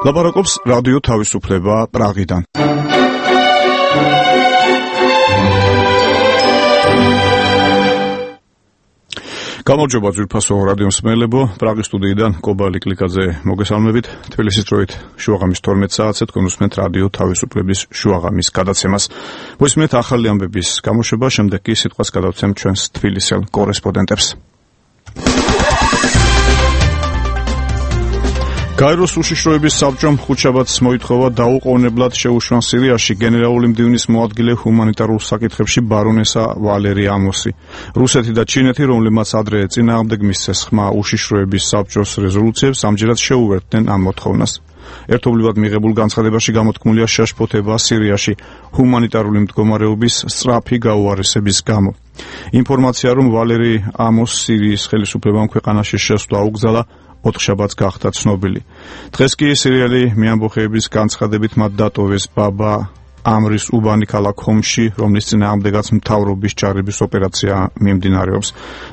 ლაპარაკობს რადიო თავისუფლება პრაღიდან. გამარჯობა ძვირფასო რადიო მსმენელებო, პრაღის სტუდიიდან კობალი კლიკაძე მოგესალმებით. თბილისის დროით შუაღამის 12 საათზე თქვენ უსმენთ რადიო თავისუფლების შუაღამის გადაცემას. მოისმენთ ახალი ამბების გამოშვება, შემდეგ კი სიტყვას გადავცემ ჩვენს თბილისელ კორესპონდენტებს. გაეროს უშიშროების საბჭომ ხუთშაბათს მოითხოვა დაუყოვნებლად შეუშვან სირიაში გენერალური მდივნის მოადგილე ჰუმანიტარულ საკითხებში ბარონესა ვალერი ამოსი. რუსეთი და ჩინეთი, რომლებმაც ადრე წინააღმდეგ მისცეს ხმა უშიშროების საბჭოს რეზოლუციებს, ამჯერად შეუერთდნენ ამ მოთხოვნას. ერთობლივად მიღებულ განცხადებაში გამოთქმულია შეშფოთება სირიაში ჰუმანიტარული მდგომარეობის სწრაფი გაუარესების გამო. ინფორმაცია, რომ ვალერი ამოს სირიის ხელისუფლებამ ქვეყანაში შესვლა აუგზალა, ოთხშაბათს გახდა ცნობილი. დღეს კი სირიელი მეამბოხეების განცხადებით მათ დატოვეს ბაბა ამრის უბანი ქალაქ ჰომში, რომლის წინააღმდეგაც მთავრობის ჯარების ოპერაცია მიმდინარეობს.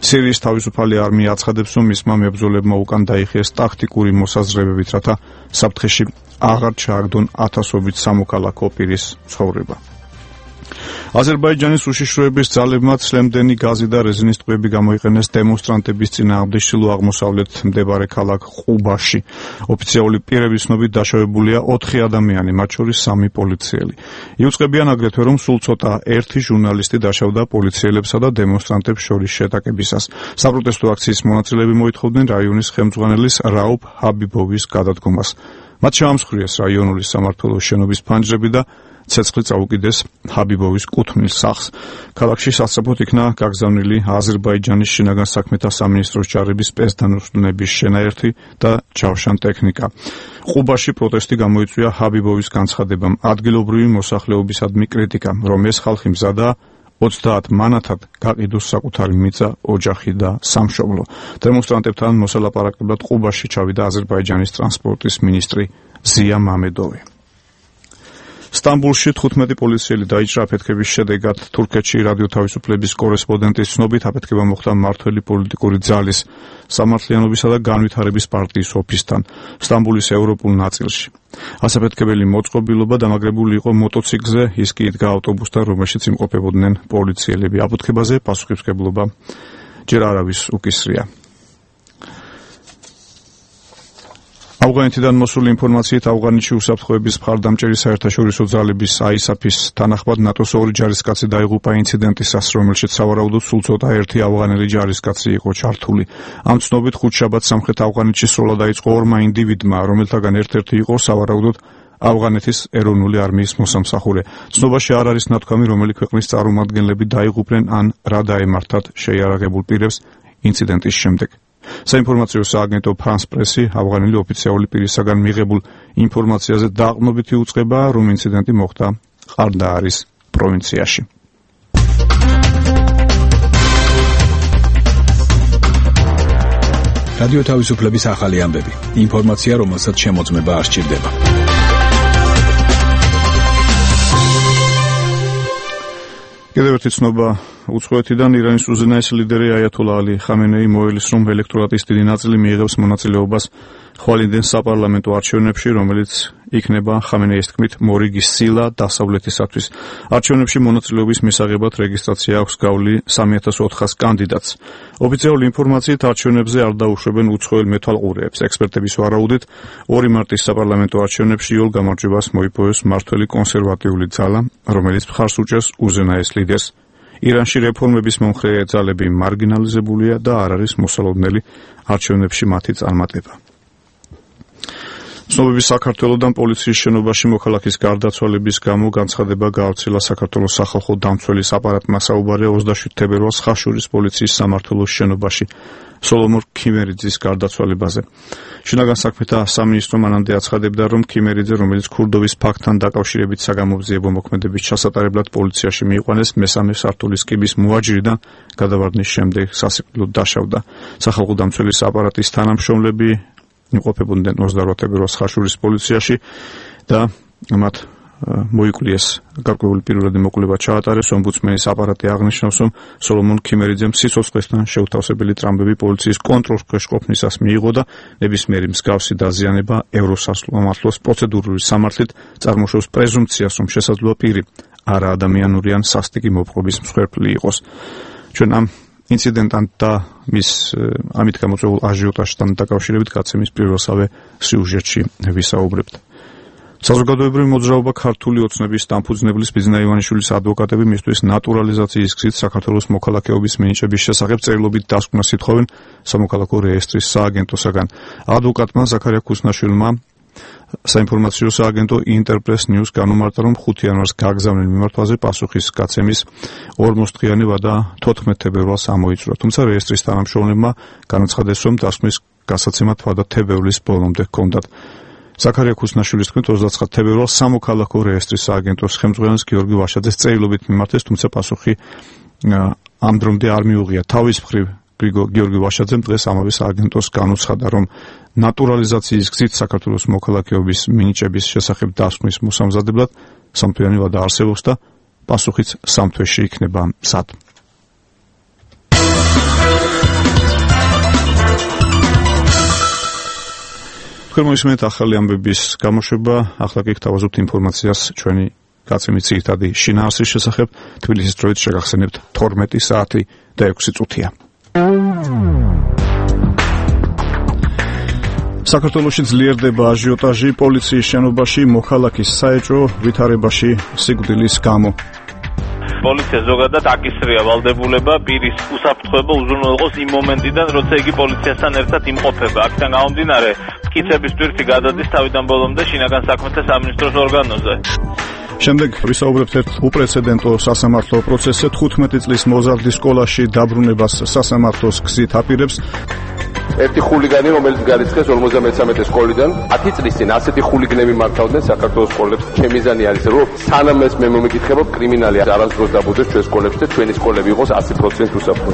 სირიის თავისუფალი არმია აცხადებს, რომ მისმა მებრძოლებმა უკან დაიხიეს ტაქტიკური მოსაზრებებით, რათა საფრთხეში აღარ ჩააგდონ ათასობით სამოქალაქო პირის ცხოვრება. აზერბაიჯანის უშიშროების ძალებმა ცლემდენი გაზი და რეზინის ტყვიები გამოიყენეს დემონსტრანტების წინააღმდეგ ჩრდილო აღმოსავლეთ მდებარე ქალაქ ყუბაში. ოფიციალური პირების ცნობით დაშავებულია 4 ადამიანი, მათ შორის 3 პოლიციელი. იუწყებიან აგრეთვე, რომ სულ ცოტა ერთი ჟურნალისტი დაშავდა პოლიციელებსა და დემონსტრანტებს შორის შეტაკებისას. საპროტესტო აქციის მონაწილეები მოითხოვდნენ რაიონის ხელმძღვანელის რაუფ ჰაბიბოვის გადადგომას. მათ შეამსხვრიეს რაიონული სამმართველოს შენობის ფანჯრები და ცეცხლი წაუკიდეს ჰაბიბოვის კუთვნილ სახლს. ქალაქში სასწრაფოდ იქნა გაგზავნილი აზერბაიჯანის შინაგან საქმეთა სამინისტროს ჯარების სპეცდანაშტუნების შენაერთი და ჯავშან ტექნიკა. ყუბაში პროტესტი გამოიწვია ჰაბიბოვის განცხადებამ. ადგილობრივი მოსახლეობისადმი კრიტიკა, რომ ეს ხალხი მზადაა 30 მანათად გაყიდოს საკუთარი მიწა, ოჯახი და სამშობლო. დემონსტრანტებთან მოსალაპარაკებლად ყუბაში ჩავიდა აზერბაიჯანის ტრანსპორტის მინისტრი ზია მამედოვი. სტამბულში 15 პოლიციელი დაიჭრა აფეთქების შედეგად. თურქეთში რადიო თავისუფლების კორესპონდენტის ცნობით აფეთქება მოხდა მმართველი პოლიტიკური ძალის, სამართლიანობისა და განვითარების პარტიის ოფისთან, სტამბულის ევროპულ ნაწილში. ასაფეთქებელი მოწყობილობა დამაგრებული იყო მოტოციკლზე, ის კი იდგა ავტობუსთან, რომელშიც იმყოფებოდნენ პოლიციელები. აფეთქებაზე პასუხისმგებლობა ჯერ არავის უკისრია. ავღანეთიდან მოსული ინფორმაციით ავღანეთში უსაფრთხოების მხარდამჭერი საერთაშორისო ძალების ISAF-ის თანახმად ნატოს 2 ჯარისკაცი დაიღუპა ინციდენტისას, რომელშიც სავარაუდოდ სულ ცოტა ერთი ავღანელი ჯარისკაცი იყო ჩართული. ამ ცნობით ხუთშაბათს სამხრეთ ავღანეთში სროლა დაიწყო 2 ინდივიდმა, რომელთაგან ერთ-ერთი იყო სავარაუდოდ ავღანეთის ეროვნული არმიის მოსამსახურე. ცნობაში არ არის ნათქვამი, რომელი ქვეყნის წარმომადგენლები დაიღუპნენ ან რა დაემართათ შეიარაღებულ პირებს ინციდენტის შემდეგ. საინფორმაციო სააგენტო France Press-ი ავღანელი ოფიციალური პირისაგან მიღებულ ინფორმაციაზე დაყრდნობით იუწყება, რომ ინციდენტი მოხდა ყარდაარის პროვინციაში. რადიო თავისუფლების ახალი ამბები. ინფორმაცია, რომელსაც შემოწმება არ სჭირდება. კიდევ ერთი ცნობა უცხოეთიდან. ირანის უზენაესი ლიდერი აიათოლა ალი ხამენეი მოელის, რომ ელექტორატის დიდი ნაწილი მიიღებს მონაწილეობას ხვალინდენ საპარლამენტო არჩევნებში, რომელიც იქნება ხამენეის თქმით მორიგის სილა დასავლეთისათვის. არჩევნებში მონაწილეობის მისაღებად რეგისტრაცია აქვს გავლი 3400 კანდიდატს. ოფიციალური ინფორმაციით არჩევნებზე არ დაუშვებენ უცხოელ მეთვალყურეებს. ექსპერტების ვარაუდით 2 მარტის საპარლამენტო არჩევნებში იოლ გამარჯვებას მოიპოვეს მმართველი კონსერვატიული ძალა, რომელიც მხარს უჭერს უზენაეს ლიდერს. ირანში რეფორმების მომხრე ძალები მარგინალიზებულია და არ არის მოსალოდნელი არჩევნებში მათი წარმატება. ცნობების საქართველოდან პოლიციის შენობაში მოქალაქის გარდაცვალების გამო განცხადება გაავრცელა საქართველოს სახალხო დამცველის აპარატმა. საუბარია 27 თებერვალს ხაშურის პოლიციის სამმართველოს შენობაში სოლომონ ქიმერიძის გარდაცვალებაზე. შინაგან საქმეთა სამინისტრო მანამდე აცხადებდა, რომ ქიმერიძე, რომელიც ქურდოვის ფაქტთან დაკავშირებით საგამოძიებო მოქმედების ჩასატარებლად პოლიციაში მიიყვანეს, მესამე სართულის კიბის მოაჯირიდან გადავარდნის შემდეგ სასიკვდილოდ დაშავდა. სახალხო დამცველის აპარატის თანამშრომლები იმყოფებოდნენ 28 თებერვალს ხაშურის პოლიციაში და მათ მოიკვლიეს გარკვეული პირველადი მოკვლევა ჩაატარეს. ომბუდსმენის აპარატი აღნიშნავს, რომ სოლომონ ქიმერიძემ სიცოცხლესთან შეუთავსებელი ტრამბები პოლიციის კონტროლს ქვეშ ყოფნისას მიიღო და ნებისმიერი მსგავსი დაზიანება ევროსამართლოს პროცედურული სამართლით წარმოშობს პრეზუმპციას, რომ შესაძლოა პირი არაადამიანური ან სასტიკი მოპყრობის მსხვერპლი იყოს. ჩვენ ამ ინციდენტთან და მის ამით გამოწვეულ აჟიოტაჟთან დაკავშირებით გაცემის პირველსავე სიუჟეტში ვისაუბრებთ. საზოგადოებრივი მოძრაობა ქართული ოცნების დამფუძნებლის ბიძინა ივანიშვილის ადვოკატები მისთვის ნატურალიზაციის გზით საქართველოს მოქალაქეობის მინიჭების შესახებ წერილობით დასკვნას ითხოვენ სამოქალაქო რეესტრის სააგენტოსაგან. ადვოკატმა ზაქარია ქუსნაშვილმა საინფორმაციო სააგენტო ინტერპრეს ნიუს განუმარტა, რომ 5 იანვარს გაგზავნილ მიმართვაზე პასუხის გაცემის 40 დღიანი ვადა 14 თებერვალს ამოიწურა. თუმცა რეესტრის თანამშრომლებმა განაცხადეს, რომ დასკვნის გასაცემად ვადა თებერვლის ბოლომდე ჰქონდათ. ზაქარია ქუსნაშვილის თქმით 29 თებერვალს სამოქალაქო რეესტრის სააგენტოს ხელმძღვანელს გიორგი ვაშაძეს წერილობით მიმართეს, თუმცა პასუხი ამ დრომდე არ მიუღია. თავის მხრივ გიორგი ვაშაძემ დღეს ამავე სააგენტოს განუცხადა, რომ ნატურალიზაციის გზით საქართველოს მოქალაქეობის მინიჭების შესახებ დასკვნის მოსამზადებლად სამთვიანი ვადა არსებობს და პასუხიც 3 თვეში იქნება მზად. თქვენ მოისმენთ ახალი ამბების გამოშვება, ახლა კი გთავაზობთ ინფორმაციას ჩვენი გაცემის ძირითადი შინაარსის შესახებ. თბილისის დროით შეგახსენებთ 12 საათი და 6 წუთია. საქართველოში ძლიერდება აჟიოტაჟი პოლიციის შენობაში მოქალაქის საეჭვო ვითარებაში სიკვდილის გამო. პოლიცია ზოგადად აკისრია ვალდებულება პირის უსაფრთხოება უზრუნველყოს იმ მომენტიდან, როცა იგი პოლიციასთან ერთად იმყოფება. აქედან გამომდინარე, მტკიცების ტვირთი გადადის თავიდან ბოლომდე შინაგან საქმეთა სამინისტროს ორგანოზე. შემდეგ ვისაუბრებთ ერთ უპრეცედენტო სასამართლო პროცესზე. 15 წლის მოზარდი სკოლაში დაბრუნებას სასამართლოს გზით აპირებს. ერთი ხულიგანი, რომელიც გარიცხეს 53 სკოლიდან, 10 წლის წინ ასეთი ხულიგნები მართავდნენ საქართველოს სკოლებს. ჩემი მიზანი არის, რომ სანამ ეს მე მომიკითხებობ, კრიმინალი არასდროს დაბუდეს ჩვენ სკოლებში და ჩვენი სკოლები იყოს 100% უსაფრთხო.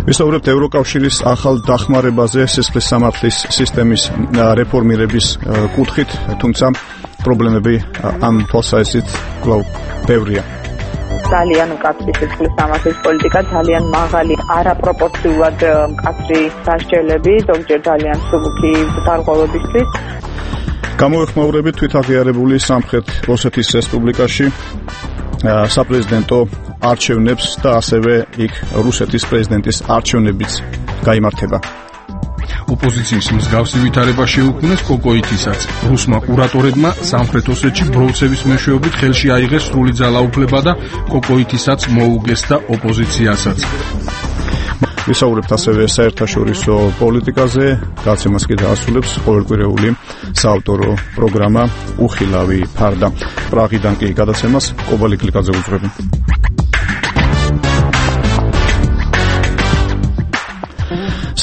ვისაუბრებთ ევროკავშირის ახალ დახმარებაზე სისხლის სამართლის სისტემის რეფორმირების კუთხით, თუმცა პრობლემები ამ თვალსაზრისით კვლავ ბევრია. ძალიან მკაცრი სისხლის სამართლის პოლიტიკა, ძალიან მაღალი, არაპროპორციულად მკაცრი დასჯელები, ზოგჯერ ძალიან მსუბუქი დარღვევებისთვის. გამოეხმაურებით თვითაღიარებული სამხრეთ ოსეთის რესპუბლიკაში საპრეზიდენტო არჩევნებს და ასევე იქ რუსეთის პრეზიდენტის არჩევნებიც გაიმართება. ოპოზიციის მსგავსი ვითარება შეუქმნეს კოკოითისაც. რუსმა კურატორებმა სამხრეთ ოსეთში ბროლცევის მეშვეობით ხელში აიღეს სრული ძალაუფლება და კოკოითისაც მოუგეს და ოპოზიციასაც. ვისაუბრებთ ასევე საერთაშორისო პოლიტიკაზე, გაცემას კი დაასრულებს ყოველკვირეული საავტორო პროგრამა უხილავი ფარდა. პრაღიდან კი გადაცემას კობალი კლიკაძე უძღვები.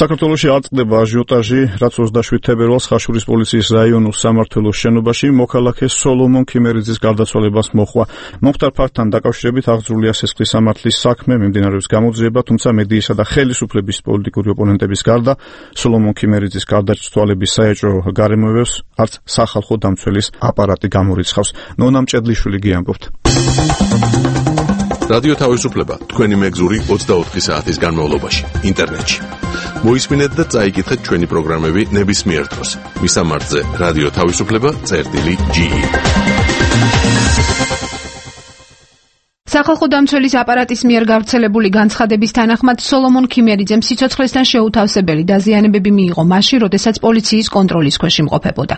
საქართველოში აწყდება აჟიოტაჟი, რაც 27 თებერვალს ხაშურის პოლიციის რაიონულ სამმართველოს შენობაში მოქალაქე სოლომონ ქიმერიძის გარდაცვალებას მოჰყვა. მომხდარ ფაქტთან დაკავშირებით აღძრულია სისხლის სამართლის საქმე, მიმდინარეობს გამოძიება, თუმცა მედიისა და ხელისუფლების პოლიტიკური ოპონენტების გარდა სოლომონ ქიმერიძის გარდაცვალების საეჭვო გარემოებებს არც სახალხო დამცველის აპარატი გამორიცხავს. ნონა მჭედლიშვილი გიამბობთ. რადიო თავისუფლება თქვენი მეგზური 24 საათის განმავლობაში ინტერნეტში. მოისმინეთ და წაიკითხეთ ჩვენი პროგრამები ნებისმიერ დროს. მისამართზე რადიო თავისუფლება.ge. სახალხო დამცველის აპარატის მიერ გავრცელებული განცხადების თანახმად სოლომონ ქიმერიძემ სიცოცხლესთან შეუთავსებელი დაზიანებები მიიღო მაშინ, როდესაც პოლიციის კონტროლის ქვეშ იმყოფებოდა.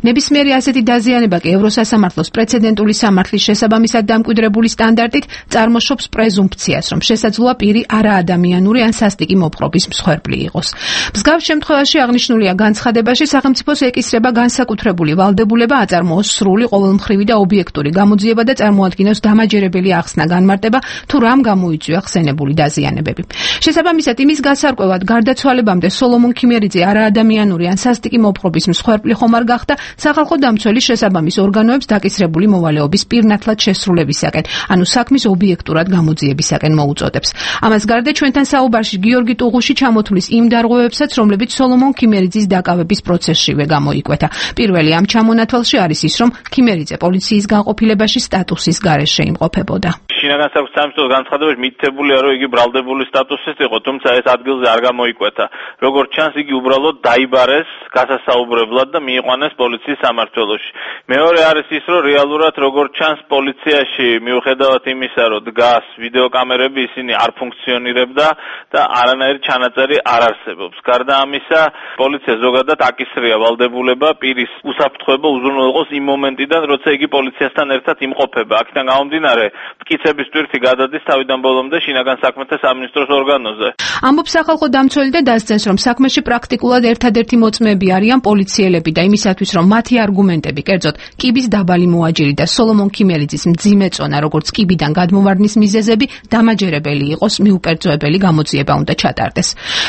ნებისმიერი ასეთი დაზიანება კი ევროსასამართლოს პრეცედენტული სამართლის შესაბამისად დამკვიდრებული სტანდარტით წარმოშობს პრეზუმპციას, რომ შესაძლოა პირი არაადამიანური ან სასტიკი მოპყრობის მსხვერპლი იყოს. მსგავს შემთხვევაში აღნიშნულია განცხადებაში სახელმწიფოს ეკისრება განსაკუთრებული ვალდებულება აწარმოოს სრული, ყოველმხრივი და ობიექტური გამოძიება და წარმოადგინოს დამაჯერებელი ახსნა განმარტება, თუ რამ გამოიწვია ხსენებული დაზიანებები. შესაბამისად, იმის გასარკვევად გარდაცვალებამდე სოლომონ ქიმერიძე არაადამიანური ან სასტიკი მოპყრობის მსხვერპლი ხომ არ გახდა, სახალხო დამცველი შესაბამის ორგანოებს დაკისრებული მოვალეობის პირნათლად შესრულებისაკენ, ანუ საქმის ობიექტურად გამოძიებისაკენ მოუწოდებს. ამას გარდა ჩვენთან საუბარში გიორგი ტუღუში ჩამოთვლის იმ დარღვევებსაც, რომლებიც სოლომონ ქიმერიძის დაკავების პროცესშივე გამოიკვეთა. პირველი ამ ჩამონათვალში არის ის, რომ ქიმერიძე პოლიციის განყოფილებაში სტატუსის გარეშე იმყოფებოდა. შინაგან საქმეთა სამინისტროს განცხადებაში მითითებულია, რომ იგი ბრალდებული სტატუსის იყო, თუმცა ეს ადგილზე არ გამოიკვეთა. როგორც ჩანს, იგი უბრალოდ დაიბარეს გასასაუბრებლად და მიიყვანეს პოლიციის სამმართველოში. მეორე არის ის, რომ რეალურად როგორც ჩანს პოლიციაში მიუხედავად იმისა, რომ დგას ვიდეოკამერები, ისინი არ ფუნქციონირებდა და არანაირი ჩანაწერი არ არსებობს. გარდა ამისა, პოლიცია ზოგადად აკისრია ვალდებულება პირის უსაფრთხოება უზრუნველყოს იმ მომენტიდან, როცა იგი პოლიციასთან ერთად იმყოფება. აქედან გამომდინარე, მტკიცების ტვირთი გადადის თავიდან ბოლომდე შინაგან საქმეთა სამინისტროს ორგანოზე. ამბობს სახალხო დამცველი და დასცენს, რომ საქმეში პრაქტიკულად ერთადერთი მოწმეები არიან პოლიციელები და იმისათვის, რომ მათი არგუმენტები, კერძოდ კიბის დაბალი მოაჯირი და სოლომონ ქიმერიძის მძიმე წონა, როგორც კიბიდან გადმოვარდნის მიზეზები, დამაჯერებელი იყოს, მიუკერძოებელი გამოძიება უნდა ჩატარდეს.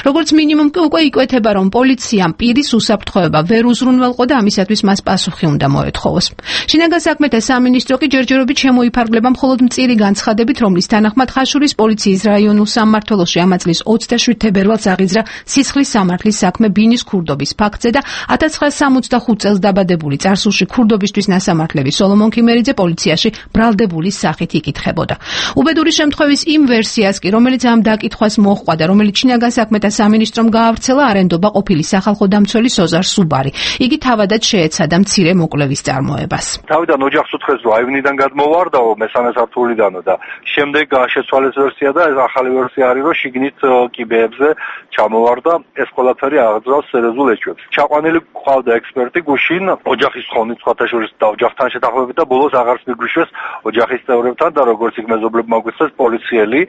როგორც მინიმუმ უკვე იკვეთება, რომ პოლიციამ პირის უსაფრთხოება ვერ უზრუნველყო და ამისათვის მას პასუხი უნდა მოეთხოვოს. შინაგან საქმეთა სამინისტრო კი ჯერჯერობით შემოიფარგლება მხოლოდ მწირი განცხადებით, რომლის თანახმად ხაშურის პოლიციის რაიონულ სამმართველოში ამა წლის 27 თებერვალს აღიძრა სისხლის სამართლის საქმე ბინის ქურდობის ფაქტზე და 1965 წელს დაბადებული წარსულში ქურდობისთვის ნასამართლები სოლომონ ქიმერიძე პოლიციაში ბრალდებულის სახით იკითხებოდა. უბედური შემთხვევის იმ ვერსიას კი, რომელიც ამ დაკითხვას მოჰყვა და რომელიც შინაგან საქმეთა სამინისტრომ გაავრცელა, არენდობა ყოფილი სახალხო დამცველი სოზარ სუბარი. იგი თავადაც შეეცადა მცირე მოკვლევის წარმოებას. თავიდან ოჯახს უთხრეს, რომ აივნიდან გადმოვარდაო მესამე სართულიდანო და შემდეგ შეცვალეს ვერსია და ეს ახალი ვერსია არის, რომ შიგნით კიბეებზე ჩამოვარდა, ეს ყველაფერი აღძრავს სერიოზულ ეჭვებს. ჩაყვანილი ყავდა ექსპერტი გუშინ ოჯახის თხოვნით სხვათა შორის და ოჯახთან შეთანხმებით და ბოლოს აღარც მიგვიშვეს ოჯახის წევრებთან და როგორც იქ მეზობლებმა გვიწეს პოლიციელი,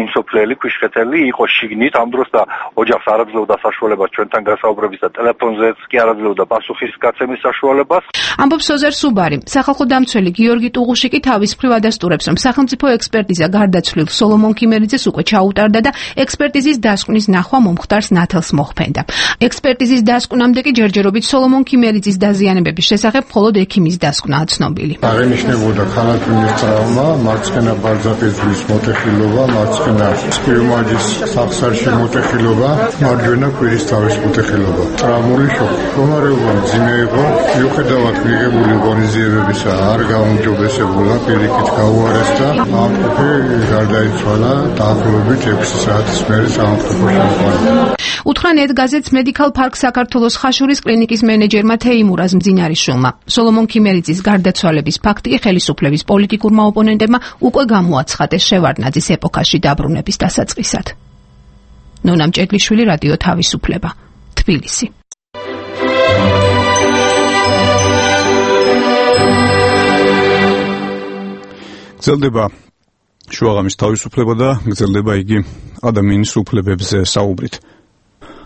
იმსოფლელი, ქვიშხეთელი იყო შიგნით ამ დროს და ოჯახს არ აძლევდა საშუალებას ჩვენთან გასაუბრების და ტელეფონზეც კი არ აძლევდა პასუხის გაცემის საშუალებას. ამბობს სოზარ სუბარი. სახალხო დამცველი გიორგი ტუღუში კი თავის მხრივ ადასტურებს, რომ სახელმწიფო ექსპერტიზა გარდაცვლილ სოლომონ ქიმერიძეს უკვე ჩაუტარდა და ექსპერტიზის დასკვნის ნახვა მომხდარს ნათელს მოხფენდა. ექსპერტიზის დასკვნამდე კი ჯერჯერობით სოლომონ ქიმერიძის დაზიანებების შესახებ მხოლოდ ექიმის დასკვნაა ცნობილი. აღინიშნებოდა ქალათვინის ტრავმა, მარცხენა ბარზაკის მოტეხილობა, მარცხენა სპიუმაჯის სახსარში მოტეხილობა, მარჯვენა კვირის თავის მოტეხილობა. ტრავმული შოკი. მდგომარეობა მძიმე იყო, მიუხედავად მიღებული ღონისძიებებისა არ გაუმჯობესებულა, პირიქით გაუარესდა. ამყოფი გარდაიცვალა დაახლოებით 6 საათის მერე სამართლებაში მოყვანილი. უთხრა ნეტგაზეთს Medical Park საქართველოს ხაშურის კლინიკის მენეჯერმა თეიმურაზ მძინარიშვილმა. სოლომონ ქიმერიძის გარდაცვალების ფაქტი ხელისუფლების პოლიტიკურმა ოპონენტებმა უკვე გამოაცხადეს შევარდნაძის ეპოქაში დაბრუნების დასაწყისად. ნონა მჭედლიშვილი, რადიო თავისუფლება, თბილისი. გრძელდება შუაღამის თავისუფლება და გრძელდება იგი ადამიანის უფლებებზე საუბრით.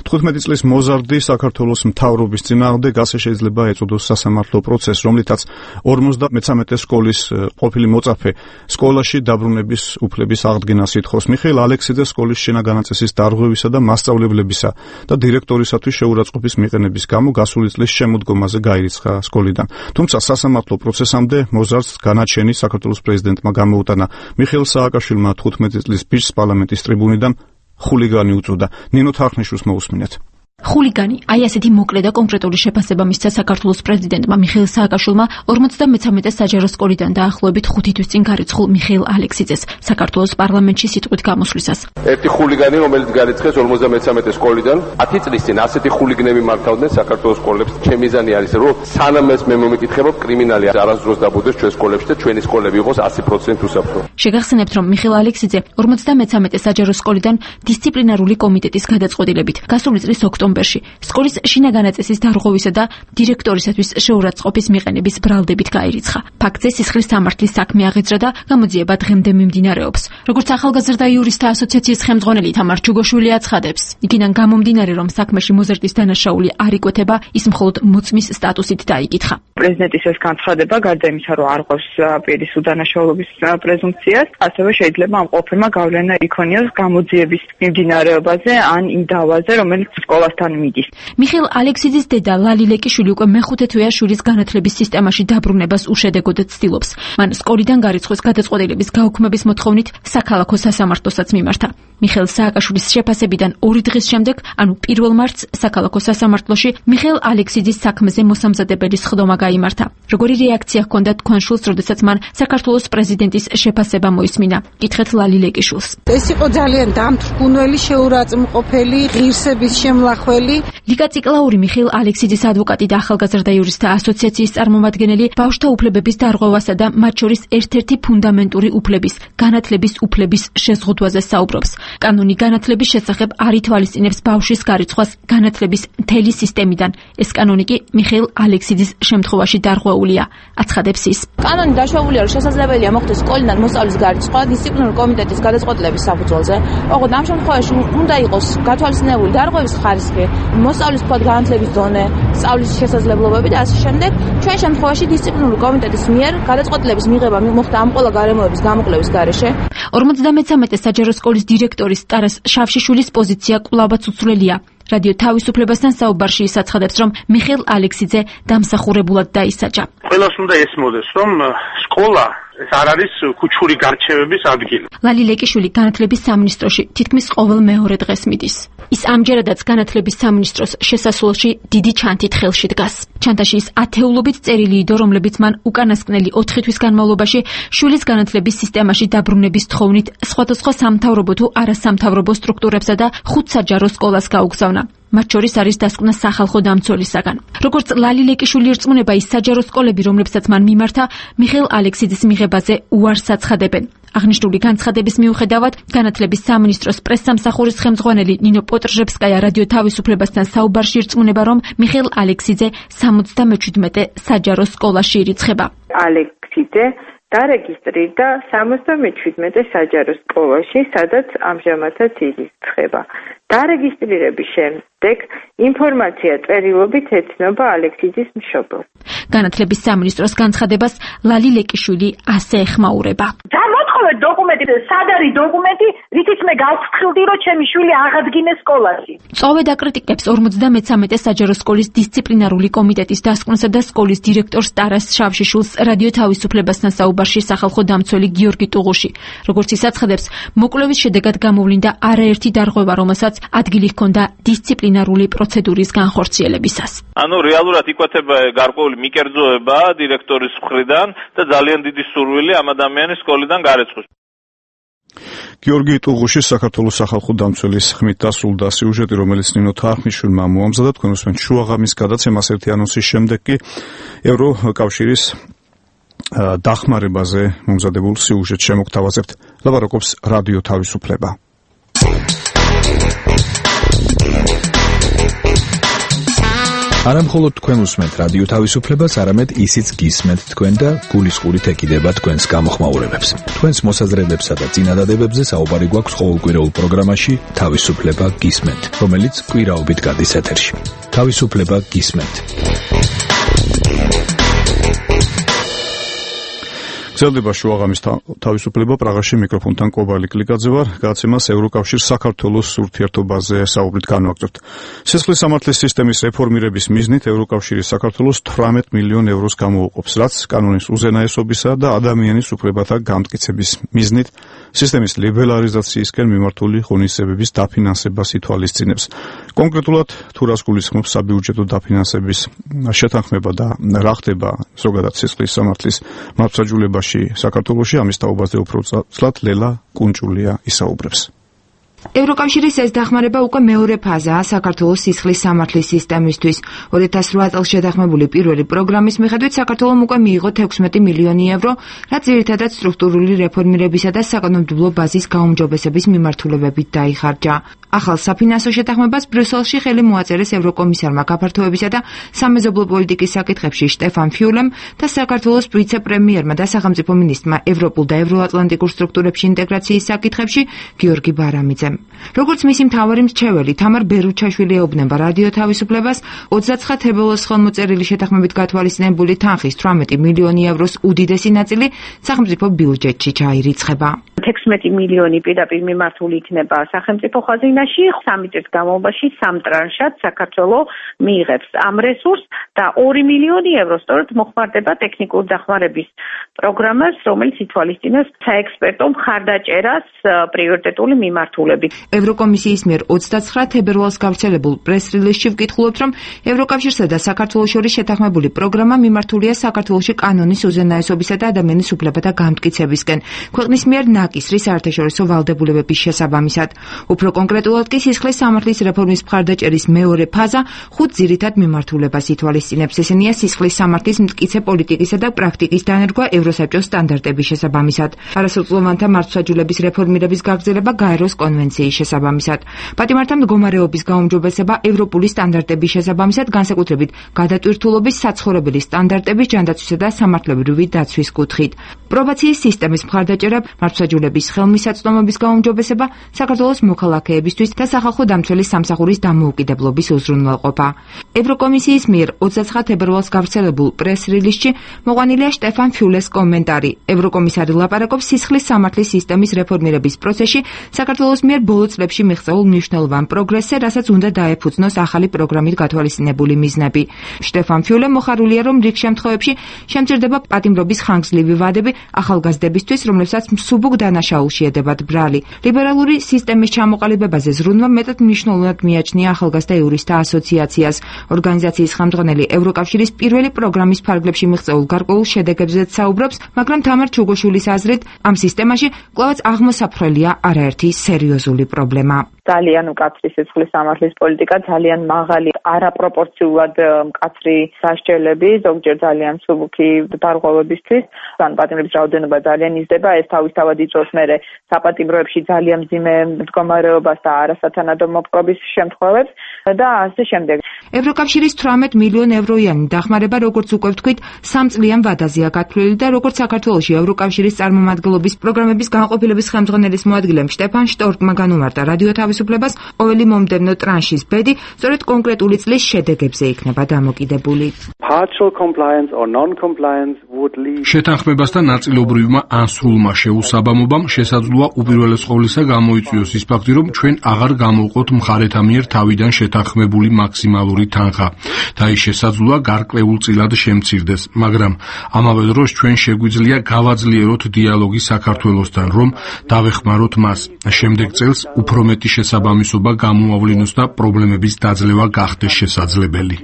15 წლის მოზარდი საქართველოს მთავრობის წინააღმდეგ ასე შეიძლება ეწოდოს სასამართლო პროცესს, რომლითაც 53 სკოლის ყოფილი მოწაფე სკოლაში დაბრუნების უფლების აღდგენას ითხოვს. მიხეილ ალექსიძე სკოლის შინაგანაწესის დარღვევისა და მასწავლებლებისა და დირექტორისათვის შეურაცხყოფის მიყენების გამო გასული წლის შემოდგომაზე გაირიცხა სკოლიდან. თუმცა სასამართლო პროცესამდე მოზარდს განაჩენი საქართველოს პრეზიდენტმა გამოუტანა. მიხეილ სააკაშვილმა 15 წლის ბიჭს პარლამენტის ტრიბუნიდან ხულიგანი უწოდა. ნინო თარხნიშვილს მოусმინეთ. ხულიგანი, აი ასეთი მოკლე და კონკრეტული შეფასება მისცა საქართველოს პრეზიდენტმა მიხეილ სააკაშვილმა 53 საჯარო სკოლიდან დაახლოებით 5 თვის წინ გარიცხულ მიხეილ ალექსიძეს საქართველოს პარლამენტში სიტყვით გამოსვლისას. ერთი ხულიგანი, რომელიც გარიცხეს 53 სკოლიდან, 10 წლის წინ ასეთი ხულიგნები მართავდნენ საქართველოს სკოლებს. ჩემი მიზანი არის, რომ სანამ ეს მე მომიკითხებობ, კრიმინალი არასდროს დაბუდეს ჩვენ სკოლებში და ჩვენი სკოლები იყოს 100% უსაფრთხო. შეგახსენებთ, რომ მიხეილ ალექსიძე 53 საჯარო სკოლიდან დისციპლინარული კომიტეტის გადაწყვეტილებით გასული წლის ოქტომბერში ოქტომბერში სკოლის შინაგანი წესის დარღვევისა და დირექტორისათვის შეურაცხყოფის მიყენების ბრალდებით გაირიცხა. ფაქტზე სისხლის სამართლის საქმე აღიძრა და გამოძიება დღემდე მიმდინარეობს. როგორც ახალგაზრდა იურისტთა ასოციაციის ხელმძღვანელი თამარ ჩუგოშვილი აცხადებს, იქიდან გამომდინარე, რომ საქმეში მოზრდის დანაშაული არ იკვეთება, ის მხოლოდ მოწმის სტატუსით დაიკითხა. პრეზიდენტის ეს განცხადება, გარდა იმისა, რომ არ ყოფს პირის უდანაშაულობის პრეზუმპციას, ასევე შეიძლება ამ ყოფილმა გავლენა იქონიოს გამოძიების მიმდინარეობაზე ან იმ დავაზე, რომელიც სკოლასთან მიდის. მიხეილ ალექსიძის დედა ლალი ლეკიშვილი უკვე მეხუთე თვეა შვილის განათლების სისტემაში დაბრუნებას უშედეგოდ ცდილობს. მან სკოლიდან გარიცხვის გადაწყვეტილების გაუქმების მოთხოვნით საქალაქო სასამართლოსაც მიმართა. მიხეილ სააკაშვილის შეფასებიდან 2 დღის შემდეგ, ანუ 1 მარტს საქალაქო სასამართლოში მიხეილ ალექსიძის საქმეზე მოსამზადებელი სხდომა გაიმართა. როგორი რეაქცია ჰქონდა თქვენ შვილს, როდესაც მან საქართველოს პრეზიდენტის შეფასება მოისმინა? კითხეთ ლალი ლეკიშვილს. ეს იყო ძალიან დამთრგუნველი, შეურაცხმყოფელი, ღირსების შემლახველი. ლიკა ციკლაური, მიხეილ ალექსიძის ადვოკატი და ახალგაზრდა იურისტთა ასოციაციის წარმომადგენელი ბავშვთა უფლებების დარღვევასა და მათ შორის ერთ-ერთი ფუნდამენტური უფლების, განათლების უფლების შეზღუდვაზე საუბრობს. კანონი განათლების შესახებ არ ითვალისწინებს ბავშვის გარიცხვას განათლების მთელი სისტემიდან. ეს კანონი კი მიხეილ ალექსიძის შემთხვევაში დარღვეულია, აცხადებს ის. კანონი დაშვებულია, რომ შესაძლებელია მოხდეს სკოლიდან მოსწავლის გარიცხვა დისციპლინური კომიტეტის გადაწყვეტილების საფუძველზე. ოღონდ ამ შემთხვევაში უნდა იყოს გათვალისწინებული დარღვევის ხარისხი, მოსწავლის თქვათ განათლების დონე, სწავლის შესაძლებლობები და ასე შემდეგ. ჩვენ შემთხვევაში დისციპლინური კომიტეტის მიერ გადაწყვეტილების მიღება მოხდა ამ ყველა გარემოების გამოკლების გარეშე. 53 საჯარო სკოლის დირექტორის ტარას შავშიშვილის პოზიცია კვლავაც უცვლელია. რადიო თავისუფლებასთან საუბარში ის აცხადებს, რომ მიხეილ ალექსიძე დამსახურებულად დაისაჯა. ყველას უნდა ესმოდეს, რომ სკოლა ეს არ არის ქუჩური გარჩევების ადგილი. ლალი ლეკიშვილი განათლების სამინისტროში თითქმის ყოველ მეორე დღეს მიდის. ის ამჯერადაც განათლების სამინისტროს შესასვლელში დიდი ჩანთით ხელში დგას. ჩანთაში ის ათეულობით წერილი იდო, რომლებიც მან უკანასკნელი 4 თვის განმავლობაში შვილის განათლების სისტემაში დაბრუნების თხოვნით სხვადასხვა სამთავრობო თუ არასამთავრობო სტრუქტურებსა და 5 საჯარო სკოლას გაუგზავნა. მათ შორის არის დასკვნა სახალხო დამცველისაგან. როგორც ლალი ლეკიშვილი ერწმუნება, ის საჯარო სკოლები, რომლებსაც მან მიმართა, მიხეილ ალექსიძის მიღებაზე უარს აცხადებენ. აღნიშნული განცხადების მიუხედავად, განათლების სამინისტროს პრესსამსახურის ხელმძღვანელი ნინო პოტრჟევსკაია რადიო თავისუფლებასთან საუბარში ერწმუნება, რომ მიხეილ ალექსიძე 77 საჯარო სკოლაში ირიცხება. ალექსიძე დარეგისტრირდა 77 საჯარო სკოლაში, სადაც ამჟამადაც ირიცხება. დარეგისტრირების შემდეგ ინფორმაცია წერილობით ეცნობა ალექსიძის მშობელს. განათლების სამინისტროს განცხადებას ლალი ლეკიშვილი ასე ეხმაურება. დამოთხოვეთ დოკუმენტი, სად არის დოკუმენტი, რითიც მე გავფრთხილდი, რომ ჩემი შვილი აღადგინეს სკოლაში. წოვე დაკრიტიკებს 53 საჯარო სკოლის დისციპლინარული კომიტეტის დასკვნასა და სკოლის დირექტორს ტარას შავშიშვილს რადიო თავისუფლებასთან საუბარში სახალხო დამცველი გიორგი ტუღუში. როგორც ის აცხადებს, მოკვლევის შედეგად გამოვლინდა არაერთი დარღვევა, რომელსაც ადგილი ჰქონდა დისციპლინარული პროცედურის განხორციელებისას. ანუ რეალურად იკვეთება გარკვეული მიკერძოება დირექტორის მხრიდან და ძალიან დიდი სურვილი ამ ადამიანის სკოლიდან გარიცხვის. გიორგი ტუღუშის საქართველოს სახალხო დამცველის ხმით დასრულდა სიუჟეტი, რომელიც ნინო თარხნიშვილმა მოამზადა. თქვენ უსმენთ შუაღამის გადაცემას. ერთი ანონსის შემდეგ კი ევროკავშირის დახმარებაზე მომზადებულ სიუჟეტს შემოგთავაზებთ. ლაპარაკობს რადიო თავისუფლება. არა მხოლოდ თქვენ უსმენთ რადიო თავისუფლებას, არამედ ისიც გისმენთ თქვენ და გულისყურით ეკიდება თქვენს გამოხმაურებებს. თქვენს მოსაზრებებსა და წინადადებებზე საუბარი გვაქვს ყოველკვირეულ პროგრამაში თავისუფლება გისმენთ, რომელიც კვირაობით გადის ეთერში. თავისუფლება გისმენთ. გრძელდება შუაღამის თავისუფლება. პრაღაში მიკროფონთან კობალი კლიკაძე ვარ. გადაცემას ევროკავშირ საქართველოს ურთიერთობაზე საუბრით განვაგრძობთ. სისხლის სამართლის სისტემის რეფორმირების მიზნით ევროკავშირი საქართველოს 18 მილიონ ევროს გამოუყოფს, რაც კანონის უზენაესობისა და ადამიანის უფლებათა გამტკიცების მიზნით სისტემის ლიბერალიზაციისკენ მიმართული ღონისძიებების დაფინანსებას ითვალისწინებს. კონკრეტულად თუ რას გულისხმობს საბიუჯეტო დაფინანსების შეთანხმება და რა ხდება ზოგადად სისხლის სამართლის მართლმსაჯულებაში საქართველოში, ამის თაობაზე უფრო ცლად ლელა კუნჭულია ისაუბრებს. ევროკავშირის ეს დახმარება უკვე მეორე ფაზაა საქართველოს სისხლის სამართლის სისტემისთვის. 2008 წელს შეთანხმებული პირველი პროგრამის მიხედვით საქართველომ უკვე მიიღო 16 მილიონი евро, რაც ძირითადად სტრუქტურული რეფორმირებისა და საკანონმდებლო ბაზის გაუმჯობესების მიმართულებებით დაიხარჯა. ახალ საფინანსო შეთანხმებას ბრიუსელში ხელი მოაწერეს ევროკომისარმა გაფართოებისა და სამეზობლო პოლიტიკის საკითხებში შტეფან ფიულემ და საქართველოს ვიცე-პრემიერმა და სახელმწიფო მინისტრმა ევროპულ და ევროატლანტიკურ სტრუქტურებში ინტეგრაციის საკითხებში გიორგი ბარამიძემ. როგორც მისი მთავარი მრჩეველი თამარ ბერუჩაშვილი ეუბნება რადიო თავისუფლებას, 29 თებერვალს ხელმოწერილი შეთანხმებით გათვალისწინებული თანხის 18 მილიონი ევროს უდიდესი ნაწილი სახელმწიფო ბიუჯეტში ჩაირიცხება. 16 მილიონი პირდაპირ მიმართული იქნება სახელმწიფო ხაზინაში, 3 წლის განმავლობაში 3 ტრანშად საქართველოს მიიღებს ამ რესურსს და 2 მილიონი ევრო სწორედ მოხმარდება ტექნიკურ დახმარების პროგრამას, რომელიც ითვალისწინებს საექსპერტო მხარდაჭერას პრიორიტეტული მიმართულებით. ევროკომისიის მიერ 29 თებერვალს გავრცელებულ პრეს-რილიზში ვკითხულობთ, რომ ევროკავშირსა და საქართველოს შორის შეთანხმებული პროგრამა მიმართულია საქართველოში კანონის უზენაესობისა და ადამიანის უფლებათა გამტკიცებისკენ. ქვეყნის მიერ ნაკისრი საერთაშორისო ვალდებულებების შესაბამისად. უფრო კონკრეტულად კი სისხლის სამართლის რეფორმის მხარდაჭერის მეორე ფაზა 5 ძირითად მიმართულებას ითვალისწინებს. ესენია სისხლის სამართლის მტკიცე პოლიტიკისა და პრაქტიკის დანერგვა ევროსაბჭოს სტანდარტების შესაბამისად, არასრულწლოვანთა მართლმსაჯულების რეფორმირების გაგრძელება გაეროს კონვენციის შესაბამისად, პატიმართა მდგომარეობის გაუმჯობესება ევროპული სტანდარტების შესაბამისად, განსაკუთრებით გადატვირთულობის საცხოვრებელი სტანდარტების ჯანდაცვისა და სამართლებრივი დაცვის კუთხით, პრობაციის სისტემის მხარდაჭერა, მართლმსაჯულების ხელმისაწვდომობის გაუმჯობესება, საქართველოს მოქალაქეებისთვის და სახალხო დამცველის სამსახურის დამოუკიდებლობის უზრუნველყოფა. ევროკომისიის მიერ 29 თებერვალს გავრცელებულ პრეს-რილიზში მოყვანილია შტეფან ფიულეს კომენტარი. ევროკომისარი ლაპარაკობს სისხლის სამართლის სისტემის რეფორმირების პროცესში საქართველოს მიერ ბოლო წლებში მიღწეულ მნიშვნელოვან პროგრესზე, რასაც უნდა დაეფუძნოს ახალი პროგრამით გათვალისწინებული მიზნები. შტეფან ფიულე მოხარულია, რომ რიგ შემთხვევებში შემჭირდება პატიმრობის ხანგრძლივი ვადები ახალგაზრდებისთვის, რომლებსაც მსუბუქ დანაშაულში ედებათ ბრალი. ლიბერალური სისტემის ჩამოყალიბებაზე ზრუნვა მეტად მნიშვნელოვნად მიაჩნია ახალგაზრდა იურისტთა ასოციაციას. ორგანიზაციის ხელმძღვანელი ევროკავშირის პირველი პროგრამის ფარგლებში მიღწეულ გარკვეულ შედეგებზეც საუბრობს, მაგრამ თამარ ჩუგოშვილის აზრით, ამ სისტემაში კვლავაც აღმოსაფრელია არაერთი სერიოზული პრობლემა. ძალიან მკაცრი სისხლის სამართლის პოლიტიკა, ძალიან მაღალი, არაპროპორციულად მკაცრი სასჯელები, ზოგჯერ ძალიან მსუბუქი დარღვევებისთვის, ან პატიმრების რაოდენობა ძალიან იზრდება, ეს თავისთავად იწვევს მერე საპატიმროებში ძალიან მძიმე მდგომარეობას და არასათანადო მოპყრობის შემთხვევებს და ასე შემდეგ. ევროკავშირის 18 მილიონ ევროიანი დახმარება, როგორც უკვე ვთქვით, 3 წლიან ვადაზეა გათვლილი და როგორც საქართველოში ევროკავშირის წარმომადგენლობის პროგრამების განყოფილების ხელმძღვანელის მოადგილემ შტეფან შტორკმა განუმარტა რადიო თავისუფლებას, ყოველი მომდევნო ტრანშის ბედი სწორედ კონკრეტული წლის შედეგებზე იქნება დამოკიდებული. შეთანხმებასთან ნაწილობრივმა ან სრულმა შეუსაბამობამ შესაძლოა უპირველეს ყოვლისა გამოიწვიოს ის ფაქტი, რომ ჩვენ აღარ გამოვყოთ მხარეთა მიერ თავიდან შეთანხმებული მაქსიმალური თანხა და ის შესაძლოა გარკვეულწილად შემცირდეს, მაგრამ ამავე დროს ჩვენ შეგვიძლია გავაძლიეროთ დიალოგი საქართველოსთან, რომ დავეხმაროთ მას. შემდეგ წელს უფრო მეტი შესაბამისობა გამოავლინოს და პრობლემების დაძლევა გახდეს შესაძლებელი.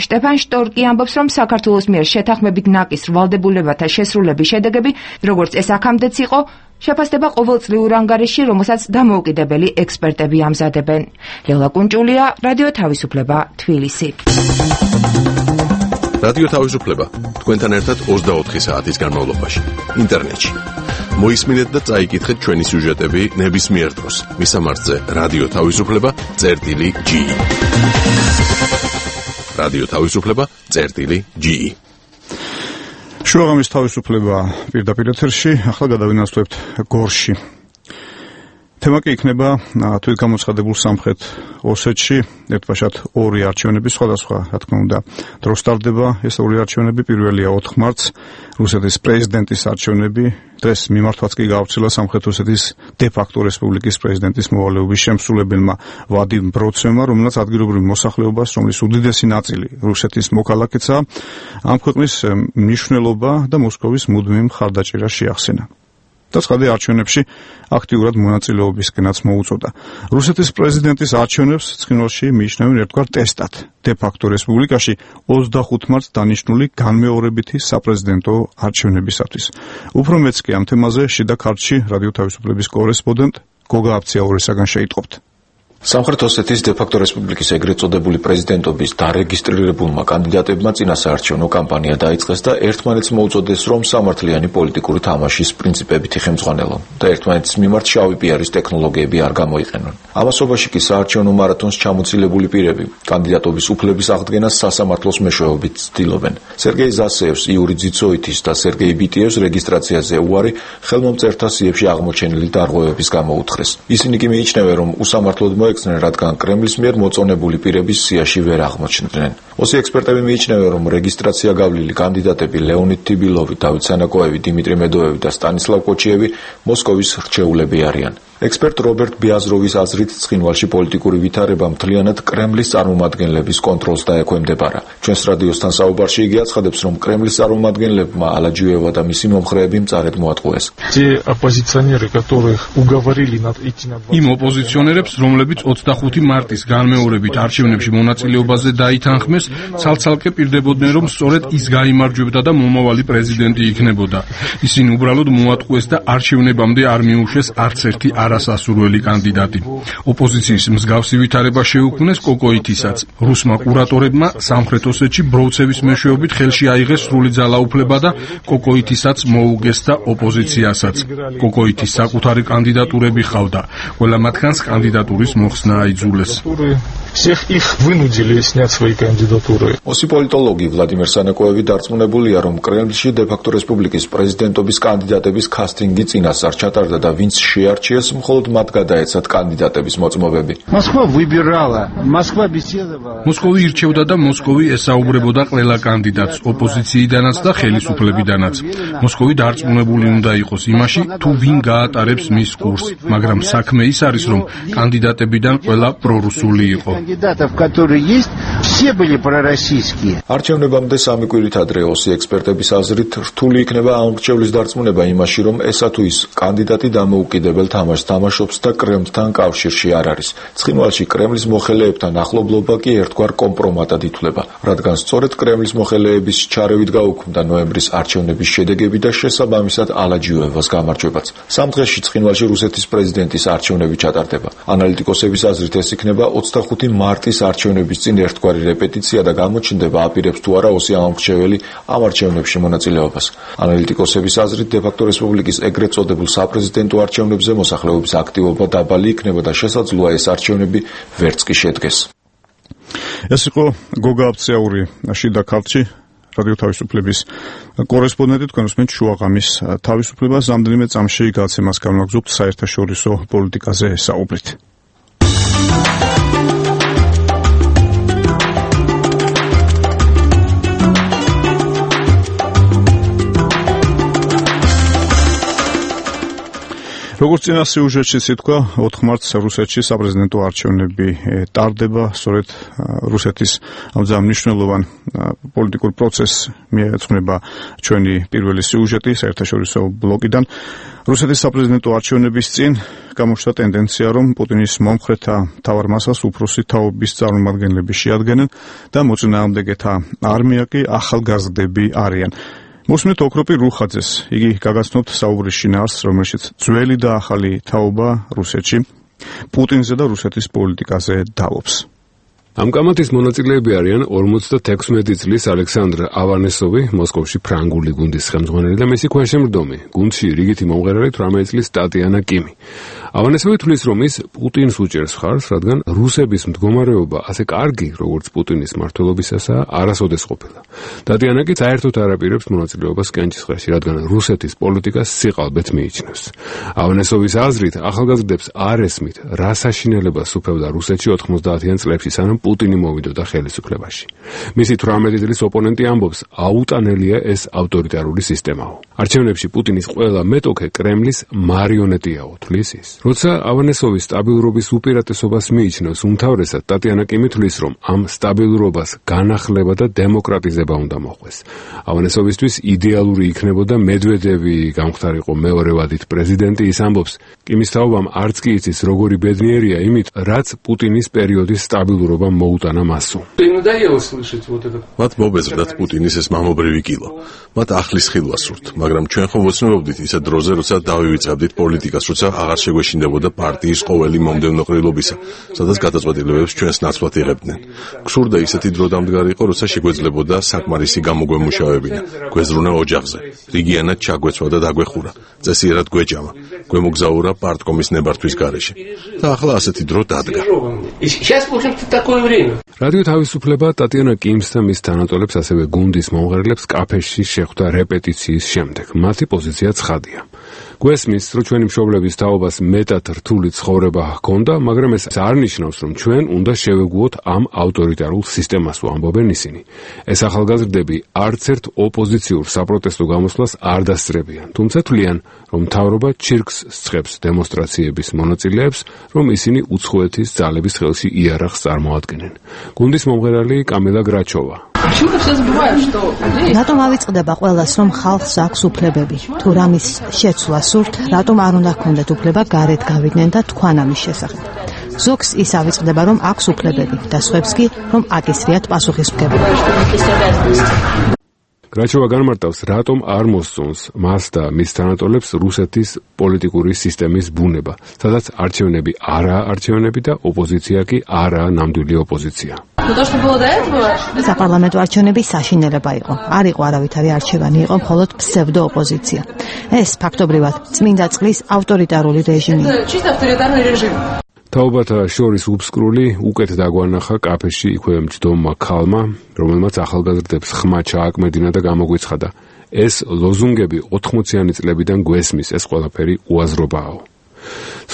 შტეფან შტორკი ამბობს, რომ საქართველოს მიერ შეთანხმებით ნაკისრ ვალდებულებათა შესრულების შედეგები, როგორც ეს აქამდეც იყო, შეფასდება ყოველწლიურ ანგარიშში, რომელსაც დამოუკიდებელი ექსპერტები ამზადებენ. ლელა კუნჭულია, რადიო თავისუფლება, თბილისი. რადიო თავისუფლება თქვენთან ერთად 24 საათის განმავლობაში ინტერნეტში. მოისმინეთ და წაიკითხეთ ჩვენი სიუჟეტები ნებისმიერ დროს. მისამართზე რადიო თავისუფლება.ge. რადიო თავისუფლება.ge. შუაღამის თავისუფლება პირდაპირ ეთერში, ახლა გადავინაცვლებთ გორში. თემა კი იქნება თვითგამოცხადებულ სამხრეთ ოსეთში, ერთბაშად 2 არჩევნები, სხვადასხვა, რა თქმა უნდა, დროს ტარდება ეს 2 არჩევნები. პირველია 4 მარტს, რუსეთის პრეზიდენტის არჩევნები. დღეს მიმართვაც კი გაავრცელა სამხრეთ ოსეთის დე-ფაქტო რესპუბლიკის პრეზიდენტის მოვალეობის შემსრულებელმა ვადიმ ბროცევმა, რომელსაც ადგილობრივ მოსახლეობას, რომლის უდიდესი ნაწილი რუსეთის მოქალაქეა, ამ ქვეყნის მნიშვნელობა და მოსკოვის მუდმივი მხარდაჭერა შეახსენა. და ცხადია არჩევნებში აქტიურად მონაწილეობისკენაც მოუწოდა. რუსეთის პრეზიდენტის არჩევნებს ცხინვალში მიიჩნევენ ერთგვარ ტესტად. დე-ფაქტო რესპუბლიკაში 25 მარტს დანიშნული განმეორებითი საპრეზიდენტო არჩევნებისათვის. უფრო მეც კი ამ თემაზე შიდა ქართლში რადიო თავისუფლების კორესპონდენტ გოგა აფციაურისაგან შეიტყობთ. სამხრეთ ოსეთის დე-ფაქტო რესპუბლიკის ეგრეთ წოდებული პრეზიდენტობის დარეგისტრირებულმა კანდიდატებმა წინა საარჩევნო კამპანია დაიწყეს და ერთმანეთს მოუწოდეს, რომ სამართლიანი პოლიტიკური თამაშის პრინციპებით იხემძღვანელონ და ერთმანეთის მიმართ შავი პიარის ტექნოლოგიები არ გამოიყენონ. ამასობაში კი საარჩევნო მარათონს ჩამოცილებული პირები კანდიდატობის უფლების აღდგენას სასამართლოს მეშვეობით ცდილობენ. სერგეი ზასეევს, იური ძიცოითის და სერგეი ბიტიევს რეგისტრაციაზე უარი ხელმომწერთა სიებში აღმოჩენილი დარღვევების გამო უთხრეს. ისინი კი მიიჩნევენ, რომ უსამართლოდ რადგან კრემლის მიერ მოწონებული პირების სიაში ვერ აღმოჩნდნენ. ოსი ექსპერტები მიიჩნევენ, რომ რეგისტრაცია გავლილი კანდიდატები ლეონიდ თიბილოვი, დავით სანაკოევი, დიმიტრი მედოევი და სტანისლავ კოჩიევი მოსკოვის რჩეულები არიან. ექსპერტ რობერტ ბიაზროვის აზრით ცხინვალში პოლიტიკური ვითარება მთლიანად კრემლის წარმომადგენლების კონტროლს დაექვემდებარა. ჩვენს რადიოსთან საუბარში იგი აცხადებს, რომ კრემლის წარმომადგენლებმა ალაჯიუევა და მისი მომხრეები მწარედ მოატყუეს. იმ ოპოზიციონერებს, რომლებიც 25 მარტის განმეორებით არჩევნებში მონაწილეობაზე დაითანხმეს, ცალ-ცალკე პირდებოდნენ, რომ სწორედ ის გაიმარჯვებდა და მომავალი პრეზიდენტი იქნებოდა. ისინი უბრალოდ მოატყუეს და არჩევნებამდე არ მიუშვეს არც ერთი არასასურველი კანდიდატი. ოპოზიციის მსგავსი ვითარება შეუქმნეს კოკოითისაც. რუსმა კურატორებმა სამხრეთ ოსეთში ბროუცევის მეშვეობით ხელში აიღეს სრული ძალაუფლება და კოკოითისაც მოუგეს და ოპოზიციასაც. კოკოითის საკუთარი კანდიდატურები ჰყავდა. ყველა მათგანს კანდიდატურის მოხსნა აიძულეს. ოსი პოლიტოლოგი ვლადიმერ სანაკოევი დარწმუნებულია, რომ კრემლში დე-ფაქტო რესპუბლიკის პრეზიდენტობის კანდიდატების კასტინგი წინასწარ ჩატარდა და ვინც შეარჩიეს, მხოლოდ მათ გადაეცათ კანდიდატების მოწმობები. მოსკოვი ირჩევდა და მოსკოვი ესაუბრებოდა ყველა კანდიდატს, ოპოზიციიდანაც და ხელისუფლებიდანაც. მოსკოვი დარწმუნებული უნდა იყოს იმაში, თუ ვინ გაატარებს მის კურსს, მაგრამ საქმე ის არის, რომ კანდიდატებიდან ყველა პრორუსული იყო. არჩევნებამდე სამი კვირით ადრე ოსი ექსპერტების აზრით რთული იქნება ამ მრჩევლის დარწმუნება იმაში, რომ ესა თუ ის კანდიდატი დამოუკიდებელ თამაშს თამაშობს და კრემლთან კავშირში არ არის. ცხინვალში კრემლის მოხელეებთან ახლობლობა კი ერთგვარ კომპრომატად ითვლება, რადგან სწორედ კრემლის მოხელეების ჩარევით გაუქმდა ნოემბრის არჩევნების შედეგები და შესაბამისად ალაჯიუევას გამარჯვებაც. სამ დღეში ცხინვალში რუსეთის პრეზიდენტის არჩევნები ჩატარდება. ანალიტიკოსების აზრით ეს იქნება 25 მარტის არჩევნების წინ ერთგვარი რეპეტიცია და გამოჩნდება აპირებს თუ არა ოსი ამომრჩეველი ამ არჩევნებში მონაწილეობას. ანალიტიკოსების აზრით დე-ფაქტო რესპუბლიკის ეგრეთ წოდებულ საპრეზიდენტო არჩევნებზე მოსახლეობის აქტივობა დაბალი იქნება და შესაძლოა ეს არჩევნები ვერც კი შედგეს. ეს იყო გოგა აფციაური შიდა ქართლში რადიო თავისუფლების კორესპონდენტი, თქვენ უსმენთ შუაღამის თავისუფლებას. რამდენიმე წამში გაცემას განვაგრძობთ საერთაშორისო პოლიტიკაზე საუბრით. როგორც წინა სიუჟეტშიც ითქვა, 4 მარტს რუსეთში საპრეზიდენტო არჩევნები ტარდება, სწორედ რუსეთის ამ მნიშვნელოვან პოლიტიკურ პროცესს მიეძღვნება ჩვენი პირველი სიუჟეტი საერთაშორისო ბლოკიდან. რუსეთის საპრეზიდენტო არჩევნების წინ გამოჩნდა ტენდენცია, რომ პუტინის მომხრეთა მთავარ მასას უფროსი თაობის წარმომადგენლები შეადგენენ და მოწინააღმდეგეთა არმია კი ახალგაზრდები არიან. მოსმენთ ოქროპი რუხაძეს, იგი გაგაცნობთ საუბრის შინაარსს, რომელშიც ძველი და ახალი თაობა რუსეთში პუტინზე და რუსეთის პოლიტიკაზე დავობს. ამ კამათის მონაწილეები არიან 56 წლის ალექსანდრ ავანესოვი, მოსკოვში ფრანგული გუნდის ხელმძღვანელი და მისი ქვეშემრდომი, გუნდში რიგითი მომღერალი 18 წლის ტატიანა კიმი. ავანესოვი თვლის, რომ ის პუტინს უჭერს ხარს, რადგან რუსების მდგომარეობა ასე კარგი, როგორც პუტინის მმართველობისასაა, არასოდეს ყოფილა. ტატიანა კი საერთოდ არ აპირებს მონაწილეობას კენჭისყრაში, რადგან რუსეთის პოლიტიკას სიყალბეთ მიიჩნევს. ავანესოვის აზრით, ახალგაზრდებს არ ესმით, რა საშინელებას უფევდა რუსეთში 90-იან წლებში, სანამ პუტინი მოვიდოდა ხელისუფლებაში. მისი 18 წლის ოპონენტი ამბობს, აუტანელია ეს ავტორიტარული სისტემაო. არჩევნებში პუტინის ყველა მეტოქე კრემლის მარიონეტიაო, თვლის ის. როცა ავანესოვის სტაბილურობის უპირატესობას მიიჩნევს უმთავრესად, ტატიანა კიმი თვლის, რომ ამ სტაბილურობას განახლება და დემოკრატიზება უნდა მოხდეს. ავანესოვისთვის იდეალური იქნებოდა მედვედევი გამختارიყო მეორე ვადით პრეზიდენტი, ის ამბობს, კიმის თაობამ არც კი იცის, როგორი ბედნიერია იმით, რაც პუტინის პერიოდის სტაბილურობა მოუტანა მასო. მათ მობეზრდათ პუტინის ეს მამობრივი კილო. მათ ახლის ხილვა სურთ, მაგრამ ჩვენ ხომ ვოცნობდით ისე დროზე, როცა დავივიწყებდით პოლიტიკას, როცა აღარ შეგვეშინდებოდა პარტიის ყოველი მომდევნო ყრილობისა, სადაც გადაწყვეტილებებს ჩვენს ნაცვლად იღებდნენ. გსურდა ისეთი დრო დამდგარიყო, როცა შეგვეძლებოდა საკმარისი გამოგვემუშავებინა, გვეზრუნა ოჯახზე, რიგიანად ჩაგვეცვა და დაგვეხურა, წესიერად გვეჯამა, გვემოგზაურა პარტკომის ნებართვის გარეშე. და ახლა ასეთი დრო დადგა. რადიო თავისუფლება ტატიანა კიმს და მის თანატოლებს, ასევე გუნდის მომღერლებს კაფეში შეხვდა რეპეტიციის შემდეგ. მათი პოზიცია ცხადია. გვესმის, რომ ჩვენი მშობლების თაობას მეტად რთული ცხოვრება ჰქონდა, მაგრამ ეს არ ნიშნავს, რომ ჩვენ უნდა შევეგუოთ ამ ავტორიტარულ სისტემას, ამბობენ ისინი. ეს ახალგაზრდები არც ერთ ოპოზიციურ საპროტესტო გამოსვლას არ დასწრებიან, თუმცა თვლიან, რომ მთავრობა ჩირკს სწყებს დემონსტრაციების მონაწილეებს, რომ ისინი უცხოეთის ძალების ხელში იარაღს წარმოადგენენ. გუნდის მომღერალი კამილა გრაჩოვა. რატომ ავიწყდება ყველას, რომ ხალხს აქვს უფლებები? თუ რამის შეცვლა სურთ, რატომ არ უნდა ჰქონდეთ უფლება გარეთ გავიდნენ და თქვან ამის შესახებ? ზოგს ის ავიწყდება, რომ აქვს უფლებები და სხვებს კი, რომ აკისრიათ პასუხისმგებლობა. გრაჩოვა განმარტავს, რატომ არ მოსწონს მას და მის თანატოლებს რუსეთის პოლიტიკური სისტემის ბუნება, სადაც არჩევნები არაა არჩევნები და ოპოზიცია კი არაა ნამდვილი ოპოზიცია. საპარლამენტო არჩევნები საშინელება იყო. არ იყო არავითარი არჩევანი, იყო მხოლოდ ფსევდო ოპოზიცია. ეს ფაქტობრივად წმინდა წყლის ავტორიტარული რეჟიმია. თაობათა შორის უბსკრული უკეთ დაგვანახა კაფეში იქვე მჯდომმა ქალმა, რომელმაც ახალგაზრდებს ხმა ჩააკმედინა და გამოგვიცხადა. ეს ლოზუნგები 80-იანი წლებიდან გვესმის, ეს ყველაფერი უაზრობაა.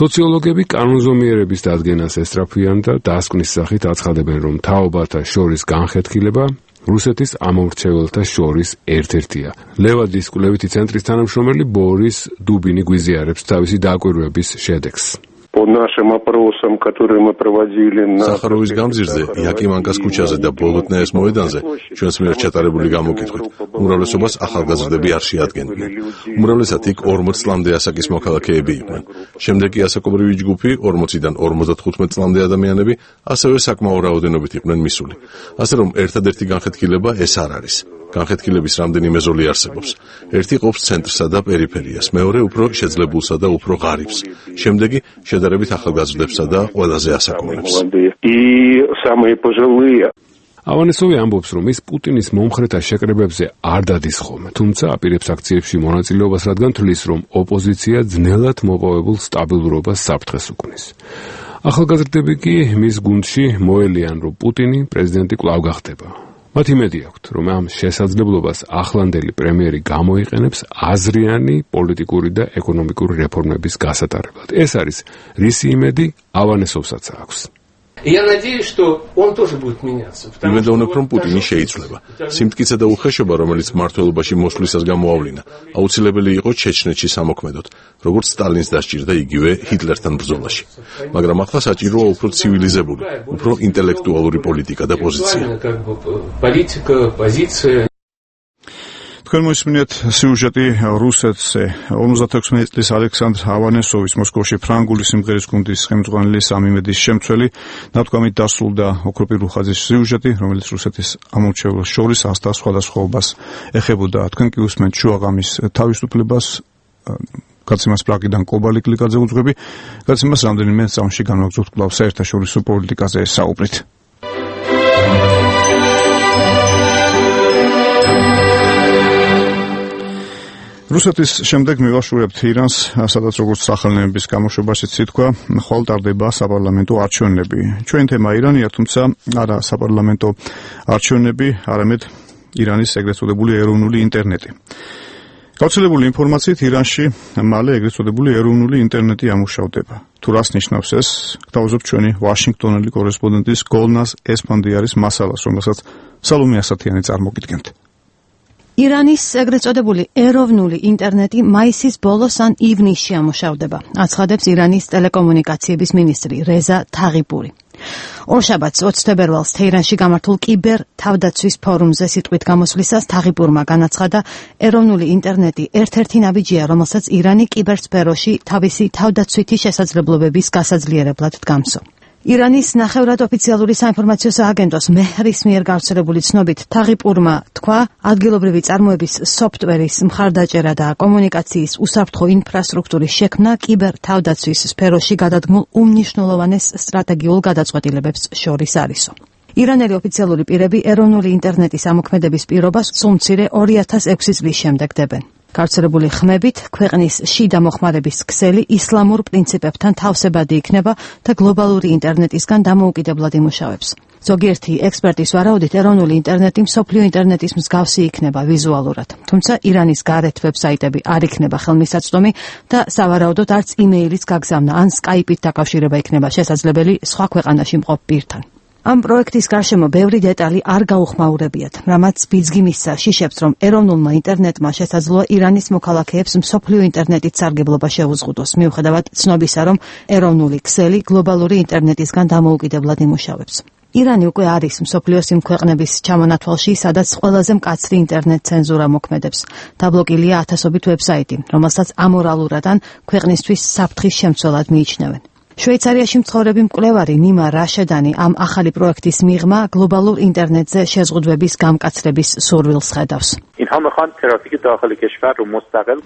სოციოლოგები კანონზომიერების დადგენას ესწრაფვიან და დასკვნის სახით აცხადებენ, რომ თაობათა შორის განხეთქილება რუსეთის ამომრჩეველთა შორის ერთ-ერთია. ლევადის კვლევითი ცენტრის თანამშრომელი ბორის დუბინი გვიზიარებს თავისი დაკვირვების შედეგს. По нашим опросам, которые мы проводили на Сахаровის გამზირზე, იაკიმანკას ქუჩაზე და ბოლოტნაეს მოედანზე ჩვენს მიერ ჩატარებული გამოკითხვით, უმრავლესობას ახალგაზრდები არ შეადგენდნენ. უმრავლესად იქ 40 წლამდე ასაკის მოქალაქეები იყვნენ. შემდეგ კი ასაკობრივი ჯგუფი 40-დან 55 წლამდე ადამიანები, ასევე საკმაო რაოდენობით იყვნენ მისული. ასე რომ ერთადერთი განხეთქილება ეს არ არის. განხეთქილების რამდენიმე ზოლი არსებობს. ერთი ყოფს ცენტრსა და პერიფერიას, მეორე უფრო შეძლებულსა და უფრო ღარიბს. შემდეგი შედარებით ახალგაზრდებსა და ყველაზე ასაკობლებს. ავანესოვი ამბობს, რომ ის პუტინის მომხრეთა შეკრებებზე არ დადის ხოლმე, თუმცა აპირებს აქციებში მონაწილეობას, რადგან თვლის, რომ ოპოზიცია ძნელად მოპოვებულ სტაბილურობას საფრთხეს უქმნის. ახალგაზრდები კი მის გუნდში მოელიან, რომ პუტინი პრეზიდენტი კვლავ გახდება. მათ იმედი აქვთ, რომ ამ შესაძლებლობას ახლანდელი პრემიერი გამოიყენებს აზრიანი პოლიტიკური და ეკონომიკური რეფორმების გასატარებლად. ეს არის რისი იმედი ავანესოვსაც აქვს. იმედოვნებ, რომ პუტინი შეიცვლება. სიმტკიცე და უხეშობა, რომელიც მმართველობაში მოსვლისას გამოავლინა, აუცილებელი იყო ჩეჩნეთში სამოქმედოდ, როგორც სტალინს დასჭირდა იგივე ჰიტლერთან ბრძოლაში. მაგრამ ახლა საჭიროა უფრო ცივილიზებული, უფრო ინტელექტუალური პოლიტიკა და პოზიცია. თქვენ მოისმინეთ სიუჟეტი რუსეთზე. 56 წლის ალექსანდრ ავანესოვის მოსკოვში ფრანგული სიმღერის გუნდის ხელმძღვანელი სამიმედის შემცველი ნათქვამით დასრულდა ოქროპირ რუხაძის სიუჟეტი, რომელიც რუსეთის ამომრჩეველს შორის ასთა სხვადასხვაობას ეხებოდა. თქვენ კი უსმენთ შუაღამის თავისუფლებას, გაცემას პრაღიდან კობალი კლიკაძე უძღვები, გაცემას რამდენიმე წამში განვაგრძობთ კვლავ საერთაშორისო პოლიტიკაზე საუბრით. რუსეთის შემდეგ მივაშურებთ ირანს, სადაც როგორც სახელნებების გამოშვებაშიც ითქვა, ხვალ ტარდება საპარლამენტო არჩევნები. ჩვენი თემა ირანია, თუმცა არა საპარლამენტო არჩევნები, არამედ ირანის ეგრეთ წოდებული ეროვნული ინტერნეტი. გავრცელებული ინფორმაციით ირანში მალე ეგრეთ წოდებული ეროვნული ინტერნეტი ამუშავდება. თუ რას ნიშნავს ეს, გთავაზობ ჩვენი ვაშინგტონელი კორესპონდენტის გოლნას ესფანდიარის მასალას, რომელსაც სალომე ასათიანი წარმოგიდგენთ. ირანის ეგრეთ წოდებული ეროვნული ინტერნეტი მაისის ბოლოს ან ივნისში ამუშავდება, აცხადებს ირანის ტელეკომუნიკაციების მინისტრი რეზა თაღიპური. ორშაბათს 20 თებერვალს თეირანში გამართულ კიბერ თავდაცვის ფორუმზე სიტყვით გამოსვლისას თაღიპურმა განაცხადა, ეროვნული ინტერნეტი ერთ-ერთი ნაბიჯია, რომელსაც ირანი კიბერსფეროში თავისი თავდაცვითი შესაძლებლობების გასაძლიერებლად დგამსო. ირანის ნახევრად ოფიციალური საინფორმაციო სააგენტოს მეჰრის მიერ გავრცელებული ცნობით თაღიპურმა თქვა, ადგილობრივი წარმოების სოფტვერის მხარდაჭერა და კომუნიკაციის უსაფრთხო ინფრასტრუქტურის შექმნა კიბერთავდაცვის სფეროში გადადგმულ უმნიშვნელოვანეს სტრატეგიულ გადაწყვეტილებებს შორის არისო. ირანელი ოფიციალური პირები ეროვნული ინტერნეტის ამოქმედების პირობას სულ მცირე 2006 წლის შემდეგ დებენ. გავრცელებული ხმებით ქვეყნის შიდა მოხმარების ქსელი ისლამურ პრინციპებთან თავსებადი იქნება და გლობალური ინტერნეტისგან დამოუკიდებლად იმუშავებს. ზოგიერთი ექსპერტის ვარაუდით ეროვნული ინტერნეტი მსოფლიო ინტერნეტის მსგავსი იქნება ვიზუალურად. თუმცა ირანის გარეთ ვებსაიტები არ იქნება ხელმისაწვდომი და სავარაუდოდ არც იმეილის გაგზავნა ან სკაიპით დაკავშირება იქნება შესაძლებელი სხვა ქვეყანაში მყოფ პირთან. ამ პროექტის გარშემო ბევრი დეტალი არ გაუხმაურებიათ, რამაც ბიძგი მისცა შიშებს, რომ ეროვნულმა ინტერნეტმა შესაძლოა ირანის მოქალაქეებს მსოფლიო ინტერნეტით სარგებლობა შეუზღუდოს, მიუხედავად ცნობისა, რომ ეროვნული ქსელი გლობალური ინტერნეტისგან დამოუკიდებლად იმუშავებს. ირანი უკვე არის მსოფლიოს იმ ქვეყნების ჩამონათვალში, სადაც ყველაზე მკაცრი ინტერნეტ ცენზურა მოქმედებს. დაბლოკილია ათასობით ვებსაიტი, რომელსაც ამორალურად ან ქვეყნისთვის საფრთხის შემცველად მიიჩნევენ. შვეიცარიაში მცხოვრები მკვლევარი ნიმა რაშედანი ამ ახალი პროექტის მიღმა გლობალურ ინტერნეტზე შეზღუდვების გამკაცრების სურვილს ხედავს.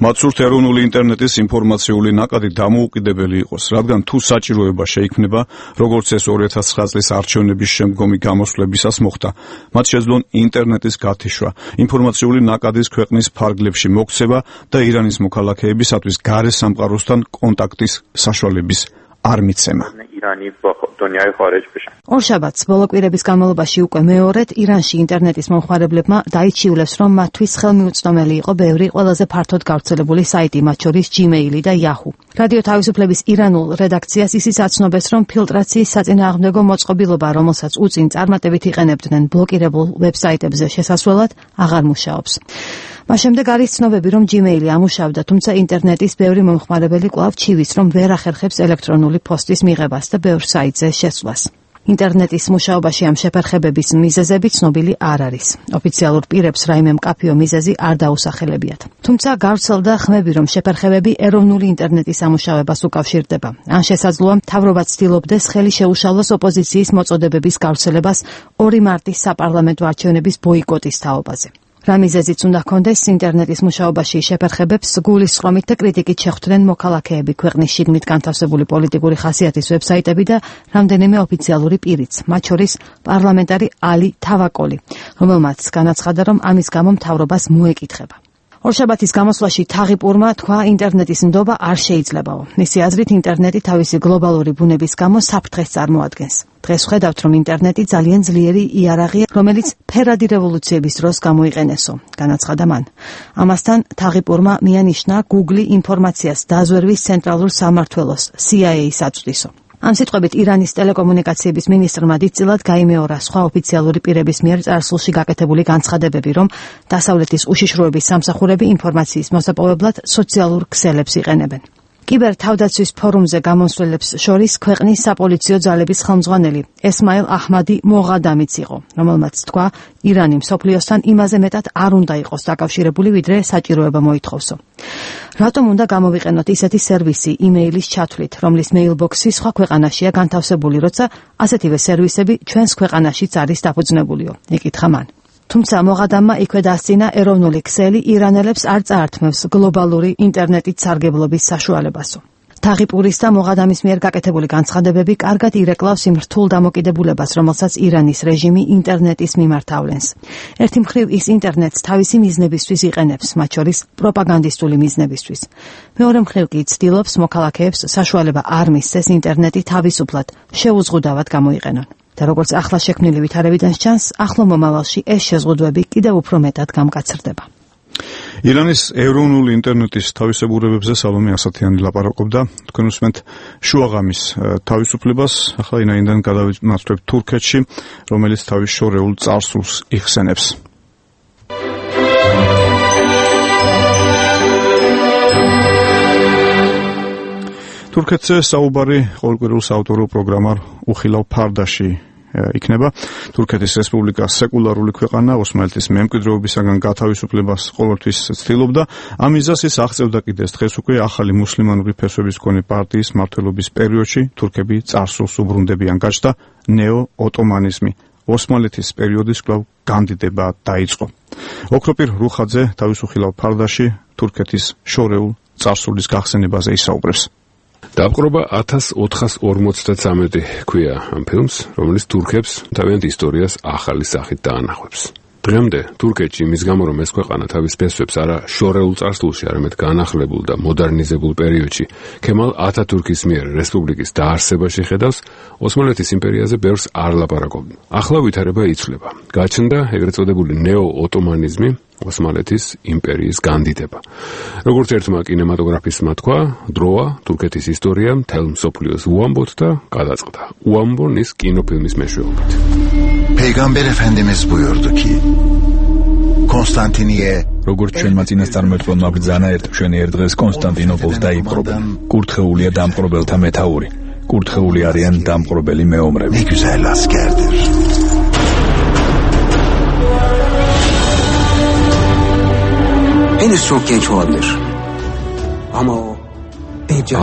მათ სურთ ეროვნული ინტერნეტის ინფორმაციული ნაკადი დამოუკიდებელი იყოს, რადგან თუ საჭიროება შეიქმნება, როგორც ეს 2009 წლის არჩევნების შემდგომი გამოსვლებისას მოხდა, მათ შეძლონ ინტერნეტის გათიშვა, ინფორმაციული ნაკადის ქვეყნის ფარგლებში მოქცევა და ირანის მოქალაქეებისათვის გარე სამყაროსთან კონტაქტის საშუალების არ მიცემა. ორშაბათს ბოლო კვირების განმავლობაში უკვე მეორედ ირანში ინტერნეტის მომხმარებლებმა დაიჩივლეს, რომ მათთვის ხელმიუწვდომელი იყო ბევრი ყველაზე ფართოდ გავრცელებული საიტი, მათ შორის Gmail და Yahoo. რადიო თავისუფლების ირანულ რედაქციას ისიც აცნობეს, რომ ფილტრაციის საწინააღმდეგო მოწყობილობა, რომელსაც უწინ წარმატებით იყენებდნენ ბლოკირებულ ვებსაიტებზე შესასვლელად, აღარ მუშაობს. მას შემდეგ არის ცნობები, რომ Gmail-ი ამუშავდა, თუმცა ინტერნეტის ბევრი მომხმარებელი კვლავ ჩივის, რომ ვერ ახერხებს ელექტრონული პოსტის მიღებას და ბევრ საიტზე შესვლას. ინტერნეტის მუშაობაში ამ შეფერხებების მიზეზები ცნობილი არ არის. ოფიციალურ პირებს რაიმე მკაფიო მიზეზი არ დაუსახელებიათ. თუმცა გავრცელდა ხმები, რომ შეფერხებები ეროვნული ინტერნეტის ამუშავებას უკავშირდება. ან შესაძლოა მთავრობა ცდილობდეს ხელი შეუშალოს ოპოზიციის მოწოდებების გავრცელებას 2 მარტის საპარლამენტო არჩევნების ბოიკოტის თაობაზე. რა მიზეზიც უნდა ჰქონდეს ინტერნეტის მუშაობაში შეფერხებებს გულისწყრომით და კრიტიკით შეხვდნენ მოქალაქეები, ქვეყნის შიგნით განთავსებული პოლიტიკური ხასიათის ვებსაიტები და რამდენიმე ოფიციალური პირიც, მათ შორის პარლამენტარი ალი თავაკოლი, რომელმაც განაცხადა, რომ ამის გამო მთავრობას მოეკითხება. ორშაბათის გამოსვლაში თაღიპურმა თქვა, ინტერნეტის ნდობა არ შეიძლებაო. მისი აზრით, ინტერნეტი თავისი გლობალური ბუნების გამო საფრთხეს წარმოადგენს. დღეს ვხედავთ, რომ ინტერნეტი ძალიან ძლიერი იარაღია, რომელიც ფერადი რევოლუციების დროს გამოიყენესო, განაცხადა მან. ამასთან თაღიპურმა მიანიშნა Google ინფორმაციას დაზვერვის ცენტრალურ სამმართველოს CIA-ს აწვდისო. ამ სიტყვებით ირანის ტელეკომუნიკაციების მინისტრმა დიდწილად გაიმეორა სხვა ოფიციალური პირების მიერ წარსულში გაკეთებული განცხადებები, რომ დასავლეთის უშიშროების სამსახურები ინფორმაციის მოსაპოვებლად სოციალურ ქსელებს იყენებენ. კიბერთავდაცვის ფორუმზე გამოსვლელებს შორის ქვეყნის საპოლიციო ძალების ხელმძღვანელი ესმაილ აჰმადი მოღადამიც იყო, რომელმაც თქვა, ირანი მსოფლიოსთან იმაზე მეტად არ უნდა იყოს დაკავშირებული, ვიდრე საჭიროება მოითხოვსო. რატომ უნდა გამოვიყენოთ ისეთი სერვისი იმეილის ჩათვლით, რომლის მეილბოქსი სხვა ქვეყანაშია განთავსებული, როცა ასეთივე სერვისები ჩვენს ქვეყანაშიც არის დაფუძნებულიო, ეკითხა მან. თუმცა მოღადამმა იქვე დასცინა ეროვნული ქსელი ირანელებს არ წაართმევს გლობალური ინტერნეტით სარგებლობის საშუალებასო. თაღიპურის და მოღადამის მიერ გაკეთებული განცხადებები კარგად ირეკლავს იმ რთულ დამოკიდებულებას, რომელსაც ირანის რეჟიმი ინტერნეტის მიმართ ავლენს. ერთი მხრივ ის ინტერნეტს თავისი მიზნებისთვის იყენებს, მათ შორის პროპაგანდისტული მიზნებისთვის. მეორე მხრივ კი ცდილობს მოქალაქეებს საშუალება არ მისცეს ინტერნეტი თავისუფლად, შეუზღუდავად გამოიყენონ. და როგორც ახლა შექმნილი ვითარებიდან სჩანს, ახლო მომავალში ეს შეზღუდვები კიდევ უფრო მეტად გამკაცრდება. ირანის ეროვნული ინტერნეტის თავისებურებებზე სალომე ასათიანი ლაპარაკობდა. თქვენ უსმენთ შუაღამის თავისუფლებას, ახლა ინაინდან გადავინაცვლებთ თურქეთში, რომელიც თავის შორეულ წარსულს იხსენებს. თურქეთზე საუბარი ყოველკვირეულ საავტორო პროგრამარ უხილავ ფარდაში იქნება. თურქეთის რესპუბლიკა სეკულარული ქვეყანა, ოსმალეთის მემკვიდრეობისაგან გათავისუფლებას ყოველთვის ცდილობდა. ამ მიზანს ის აღწევდა კიდეც დღეს უკვე ახალი მუსლიმანური ფესვების მქონე პარტიის მმართველობის პერიოდში თურქები წარსულს უბრუნდებიან. გაჩნდა ნეო-ოტომანიზმი. ოსმალეთის პერიოდის კვლავ განდიდება დაიწყო. ოქროპირ რუხაძე თავისუფლად ფარდაში თურქეთის შორეულ წარსულის გახსენებაზე ისაუბრებს. დაპყრობა 1453 ქვია ამ ფილმს, რომელიც თურქებს თავიანთ ისტორიას ახალი სახით დაანახავს. დღემდე თურქეთში იმის გამო, რომ ეს ქვეყანა თავის ფესვებს არა შორეულ წარსულში, არამედ განახლებულ და მოდერნიზებულ პერიოდში ქემალ ათათურქის მიერ რესპუბლიკის დაარსებაში ხედავს, ოსმალეთის იმპერიაზე ბევრს არ ლაპარაკობდნენ. ახლა ვითარება იცვლება. გაჩნდა ეგრეთ წოდებული ნეო-ოტომანიზმი, ოსმალეთის იმპერიის განდიდება. როგორც ერთმა კინემატოგრაფისტმა თქვა, დროა თურქეთის ისტორია მთელ მსოფლიოს უამბოთ და გადაწყდა. უამბონ ის კინოფილმის მეშვეობით. Peygamber Efendimiz buyurdu ki Konstantiniye როგორც ჩვენმა წინასწარმეტყველმა ბრძანა ერთ დღეს კონსტანტინოპოლს დაიპყრობენ. კურთხეულია დამპყრობელთა მეთაური. კურთხეული არიან დამპყრობელი მეომრები. Ne güzel askerdir. Henüz çok genç olabilir. Ama o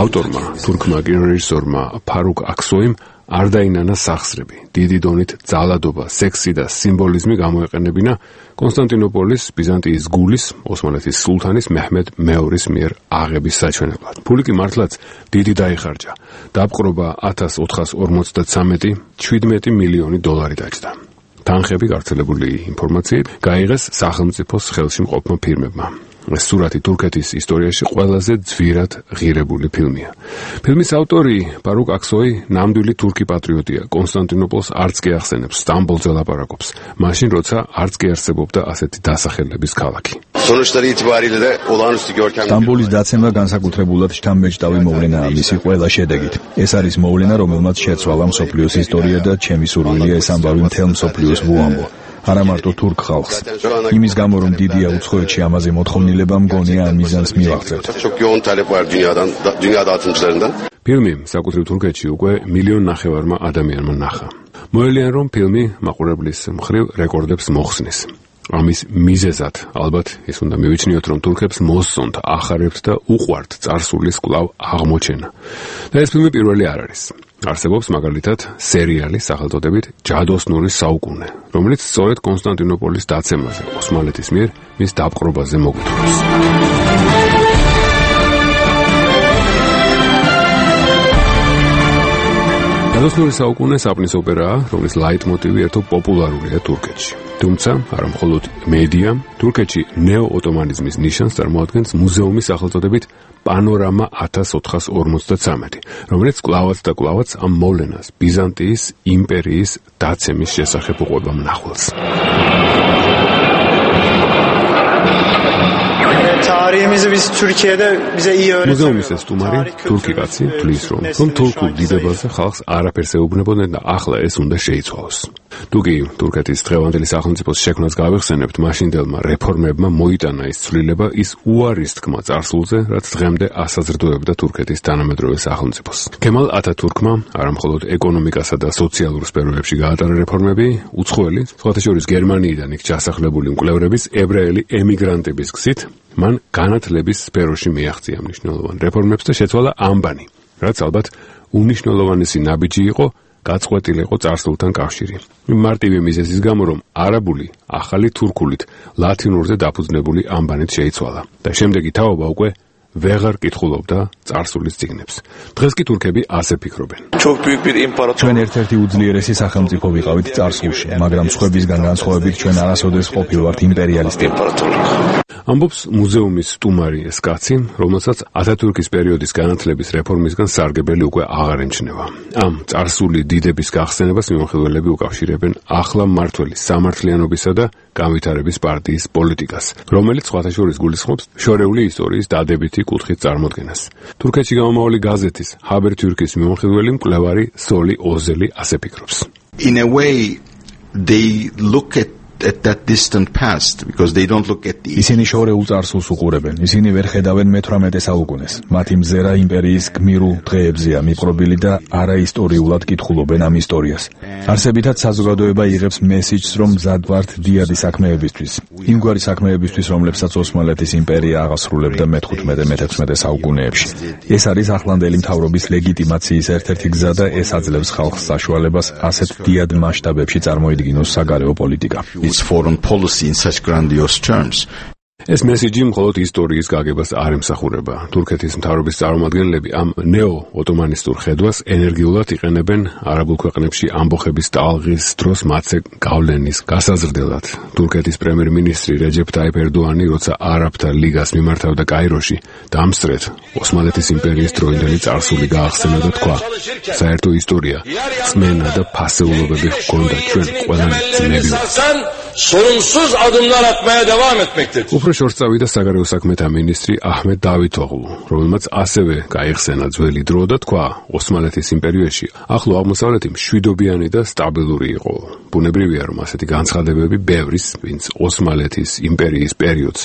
ავტორმა, თურქმა კინორეჟისორმა ფარუკ აქსოიმ არ დაინანა სახსრები, დიდი დონით ძალადობა, სექსი და სიმბოლიზმი გამოეყენებინა კონსტანტინოპოლის ბიზანტიის გულის, ოსმალეთის სულთანის მეჰმედ მეორის მიერ აღების საჩვენებლად. ფული კი მართლაც დიდი დაიხარჯა. დაპყრობა 1453 17 მილიონი დოლარი დაჯდა. თანხები გავრცელებული ინფორმაციით გაიღეს სახელმწიფოს ხელში მყოფმა ფირმებმა. ეს სურათი თურქეთის ისტორიაში ყველაზე ძვირად ღირებული ფილმია. ფილმის ავტორი ფარუკ აქსოი ნამდვილი თურქი პატრიოტია. კონსტანტინოპოლს არც კი ახსენებს, სტამბოლზე ლაპარაკობს. მაშინ როცა არც კი არსებობდა ასეთი დასახელების ქალაქი. სტამბოლის დაცემა განსაკუთრებულად შთამბეჭდავი მოვლენაა მისი ყველა შედეგით. ეს არის მოვლენა, რომელმაც შეცვალა მსოფლიოს ისტორია და ჩემი სურვილია ეს ამბავი მთელ მსოფლიოს ვუამბო. არა მარტო თურქ ხალხს. იმის გამო, რომ დიდია უცხოეთში ამაზე მოთხოვნილება, მგონია ამ მიზანს მივაღწევთ. ფილმი საკუთრივ თურქეთში უკვე 1,5 მილიონმა ადამიანმა ნახა. მოელიან, რომ ფილმი მაყურებლის მხრივ რეკორდებს მოხსნის. ამის მიზეზად ალბათ ის უნდა მივიჩნიოთ, რომ თურქებს მოსწონთ, ახარებთ და უყვართ წარსულის კვლავ აღმოჩენა. და ეს ფილმი პირველი არ არის. არსებობს მაგალითად სერიალი სახელწოდებით ჯადოსნური საუკუნე, რომელიც სწორედ კონსტანტინოპოლის დაცემაზე, ოსმალეთის მიერ მის დაპყრობაზე მოგვითხრობს. ჯადოსნური საუკუნე საპნის ოპერაა, რომლის ლაიტმოტივი ერთო პოპულარულია თურქეთში. თუმცა, არა მხოლოდ მედია, თურქეთში ნეო-ოტომანიზმის ნიშანს წარმოადგენს მუზეუმის სახელწოდებით პანორამა 1453, რომელიც კვლავაც და კვლავაც ამ მოვლენას ბიზანტიის იმპერიის დაცემის შესახებ უყვება მნახველს. მუზეუმის ეს სტუმარი, თურქი კაცი, თვლის, რომ თურქულ დიდებაზე ხალხს არაფერს ეუბნებოდნენ და ახლა ეს უნდა შეიცვალოს. თუკი თურქეთის დღევანდელი სახელმწიფოს შექმნას გავიხსენებთ, მაშინდელმა რეფორმებმა მოიტანა ის ცვლილება, ის უარის თქმა წარსულზე, რაც დღემდე ასაზრდოებდა თურქეთის თანამედროვე სახელმწიფოს. ქემალ ათათურქმა არა მხოლოდ ეკონომიკასა და სოციალურ სფეროებში გაატარა რეფორმები, უცხოელი, სხვათა შორის გერმანიიდან იქ ჩასახლებული მკვლევრების ებრაელი ემიგრანტების გზით მან განათლების სფეროში მიაღწია მნიშვნელოვან რეფორმებს და შეცვალა ამბანი, რაც ალბათ უნიშნულოვანესი ნაბიჯი იყო, გაწყვეტილიყო წარსულთან კავშირი. მარტივი მიზეზის გამო, რომ არაბული ახალი თურქულით ლათინურზე დაფუძნებული ამბანით შეიცვალა და შემდეგი თაობა უკვე ვეღარ კითხულობდა წარსულის წიგნებს. დღეს კი თურქები ასე ფიქრობენ. ჩვენ ერთ-ერთი უძლიერესი სახელმწიფო ვიყავით წარსულში, მაგრამ სხვებისგან განსხვავებით ჩვენ არასოდეს ყოფილვართ იმპერიალისტები. ამბობს მუზეუმის სტუმარი ეს კაცი, რომელსაც ათათურქის პერიოდის განათლების რეფორმისგან სარგებელი უკვე აღარ ემჩნევა. ამ წარსული დიდების გახსენებას მიმოხილველები უკავშირებენ ახლა მმართველის სამართლიანობისა და განვითარების პარტიის პოლიტიკას, რომელიც სხვათა შორის გულისხმობს შორეული ისტორიის დადებითი კუთხით წარმოდგენას. თურქეთში გამომავალი გაზეთის ჰაბერტიურქის მიმოხილველი მკვლევარი სოლი ოზელი ასე ფიქრობს. In a way they look at at that distant past because they don't look at the ისინი შორეულ წარსულს უყურებენ. ისინი ვერ ხედავენ მე-18 საუკუნეს. მათი მზერა იმპერიის გმირულ დღეებზეა მიყრობილი და არაისტორიულად კითხულობენ ამ ისტორიას. არსებითად საზოგადოება იღებს მესიჯს, რომ მზად ვართ დიადი საქმეებისთვის. იმგვარი საქმეებისთვის, რომლებსაც ოსმალეთის იმპერია აღასრულებდა მე-15-მე-16 საუკუნეებში. ეს არის ახლანდელი მთავრობის ლეგიტიმაციის ერთ-ერთი გზა და ეს აძლევს ხალხს საშუალებას ასეთ დიად მასშტაბებში წარმოიდგინოს საგარეო პოლიტიკა. its foreign policy in such grandiose terms. ეს მესიჯი მხოლოდ ისტორიის გაგებას არ ემსახურება. თურქეთის მთავრობის წარმომადგენლები ამ ნეო-ოტომანისტურ ხედვას ენერგიულად იყენებენ არაბულ ქვეყნებში ამბოხების ტალღის დროს მათზე გავლენის გასაზრდელად. თურქეთის პრემიერ-მინისტრი რეჯეფ ტაიპ ერდოანი, როცა არაბთა ლიგას მიმართავდა კაიროში, დამსწრეთ ოსმალეთის იმპერიის დროინდელი წარსული გაახსენა და თქვა: საერთო ისტორია, წმენა და ფასეულობები ჰქონდა ჩვენ ყველანი ძმები. Sorunsuz adımlar atmaya devam etmektedir. უფრო შორს წავიდა საგარეო საქმეთა მინისტრი აჰმედ დავითოღლუ, რომელმაც ასევე გაიხსენა ძველი დრო და თქვა: ოსმალეთის იმპერიაში ახლო აღმოსავლეთი მშვიდობიანი და სტაბილური იყო. ბუნებრივია, რომ ასეთი განცხადებები ბევრის, ვინც ოსმალეთის იმპერიის პერიოდს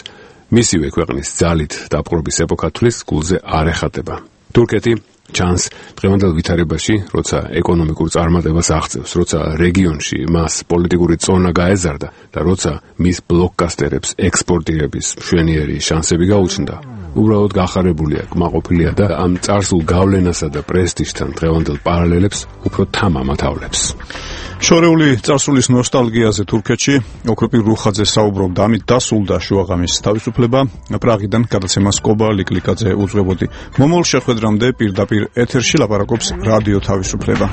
მისივე ქვეყნის ძალით დაპყრობის ეპოქა თვლის, გულზე არ ეხატება. თურქეთი ჩანს დღევანდელ ვითარებაში, როცა ეკონომიკურ წარმატებას აღწევს, როცა რეგიონში მას პოლიტიკური წონა გაეზარდა და როცა მის ბლოკკასტერებს ექსპორტირების მშვენიერი შანსები გაუჩნდა. უბრალოდ გახარებულია, კმაყოფილია და ამ წარსულ გავლენასა და პრესტიჟთან დღევანდელ პარალელებს უფრო თამამ ათავლებს. შორეული წარსულის ნოსტალგიაზე თურქეთში ოქროპირ რუხაძე საუბრობდა. ამით დასულდა შუაღამის თავისუფლება. პრაღიდან გადაცემა სკობა ლიკლიკაძე უძღვებოდი. მომავალ შეხვედრამდე პირდაპირ ეთერში ლაპარაკობს რადიო თავისუფლება.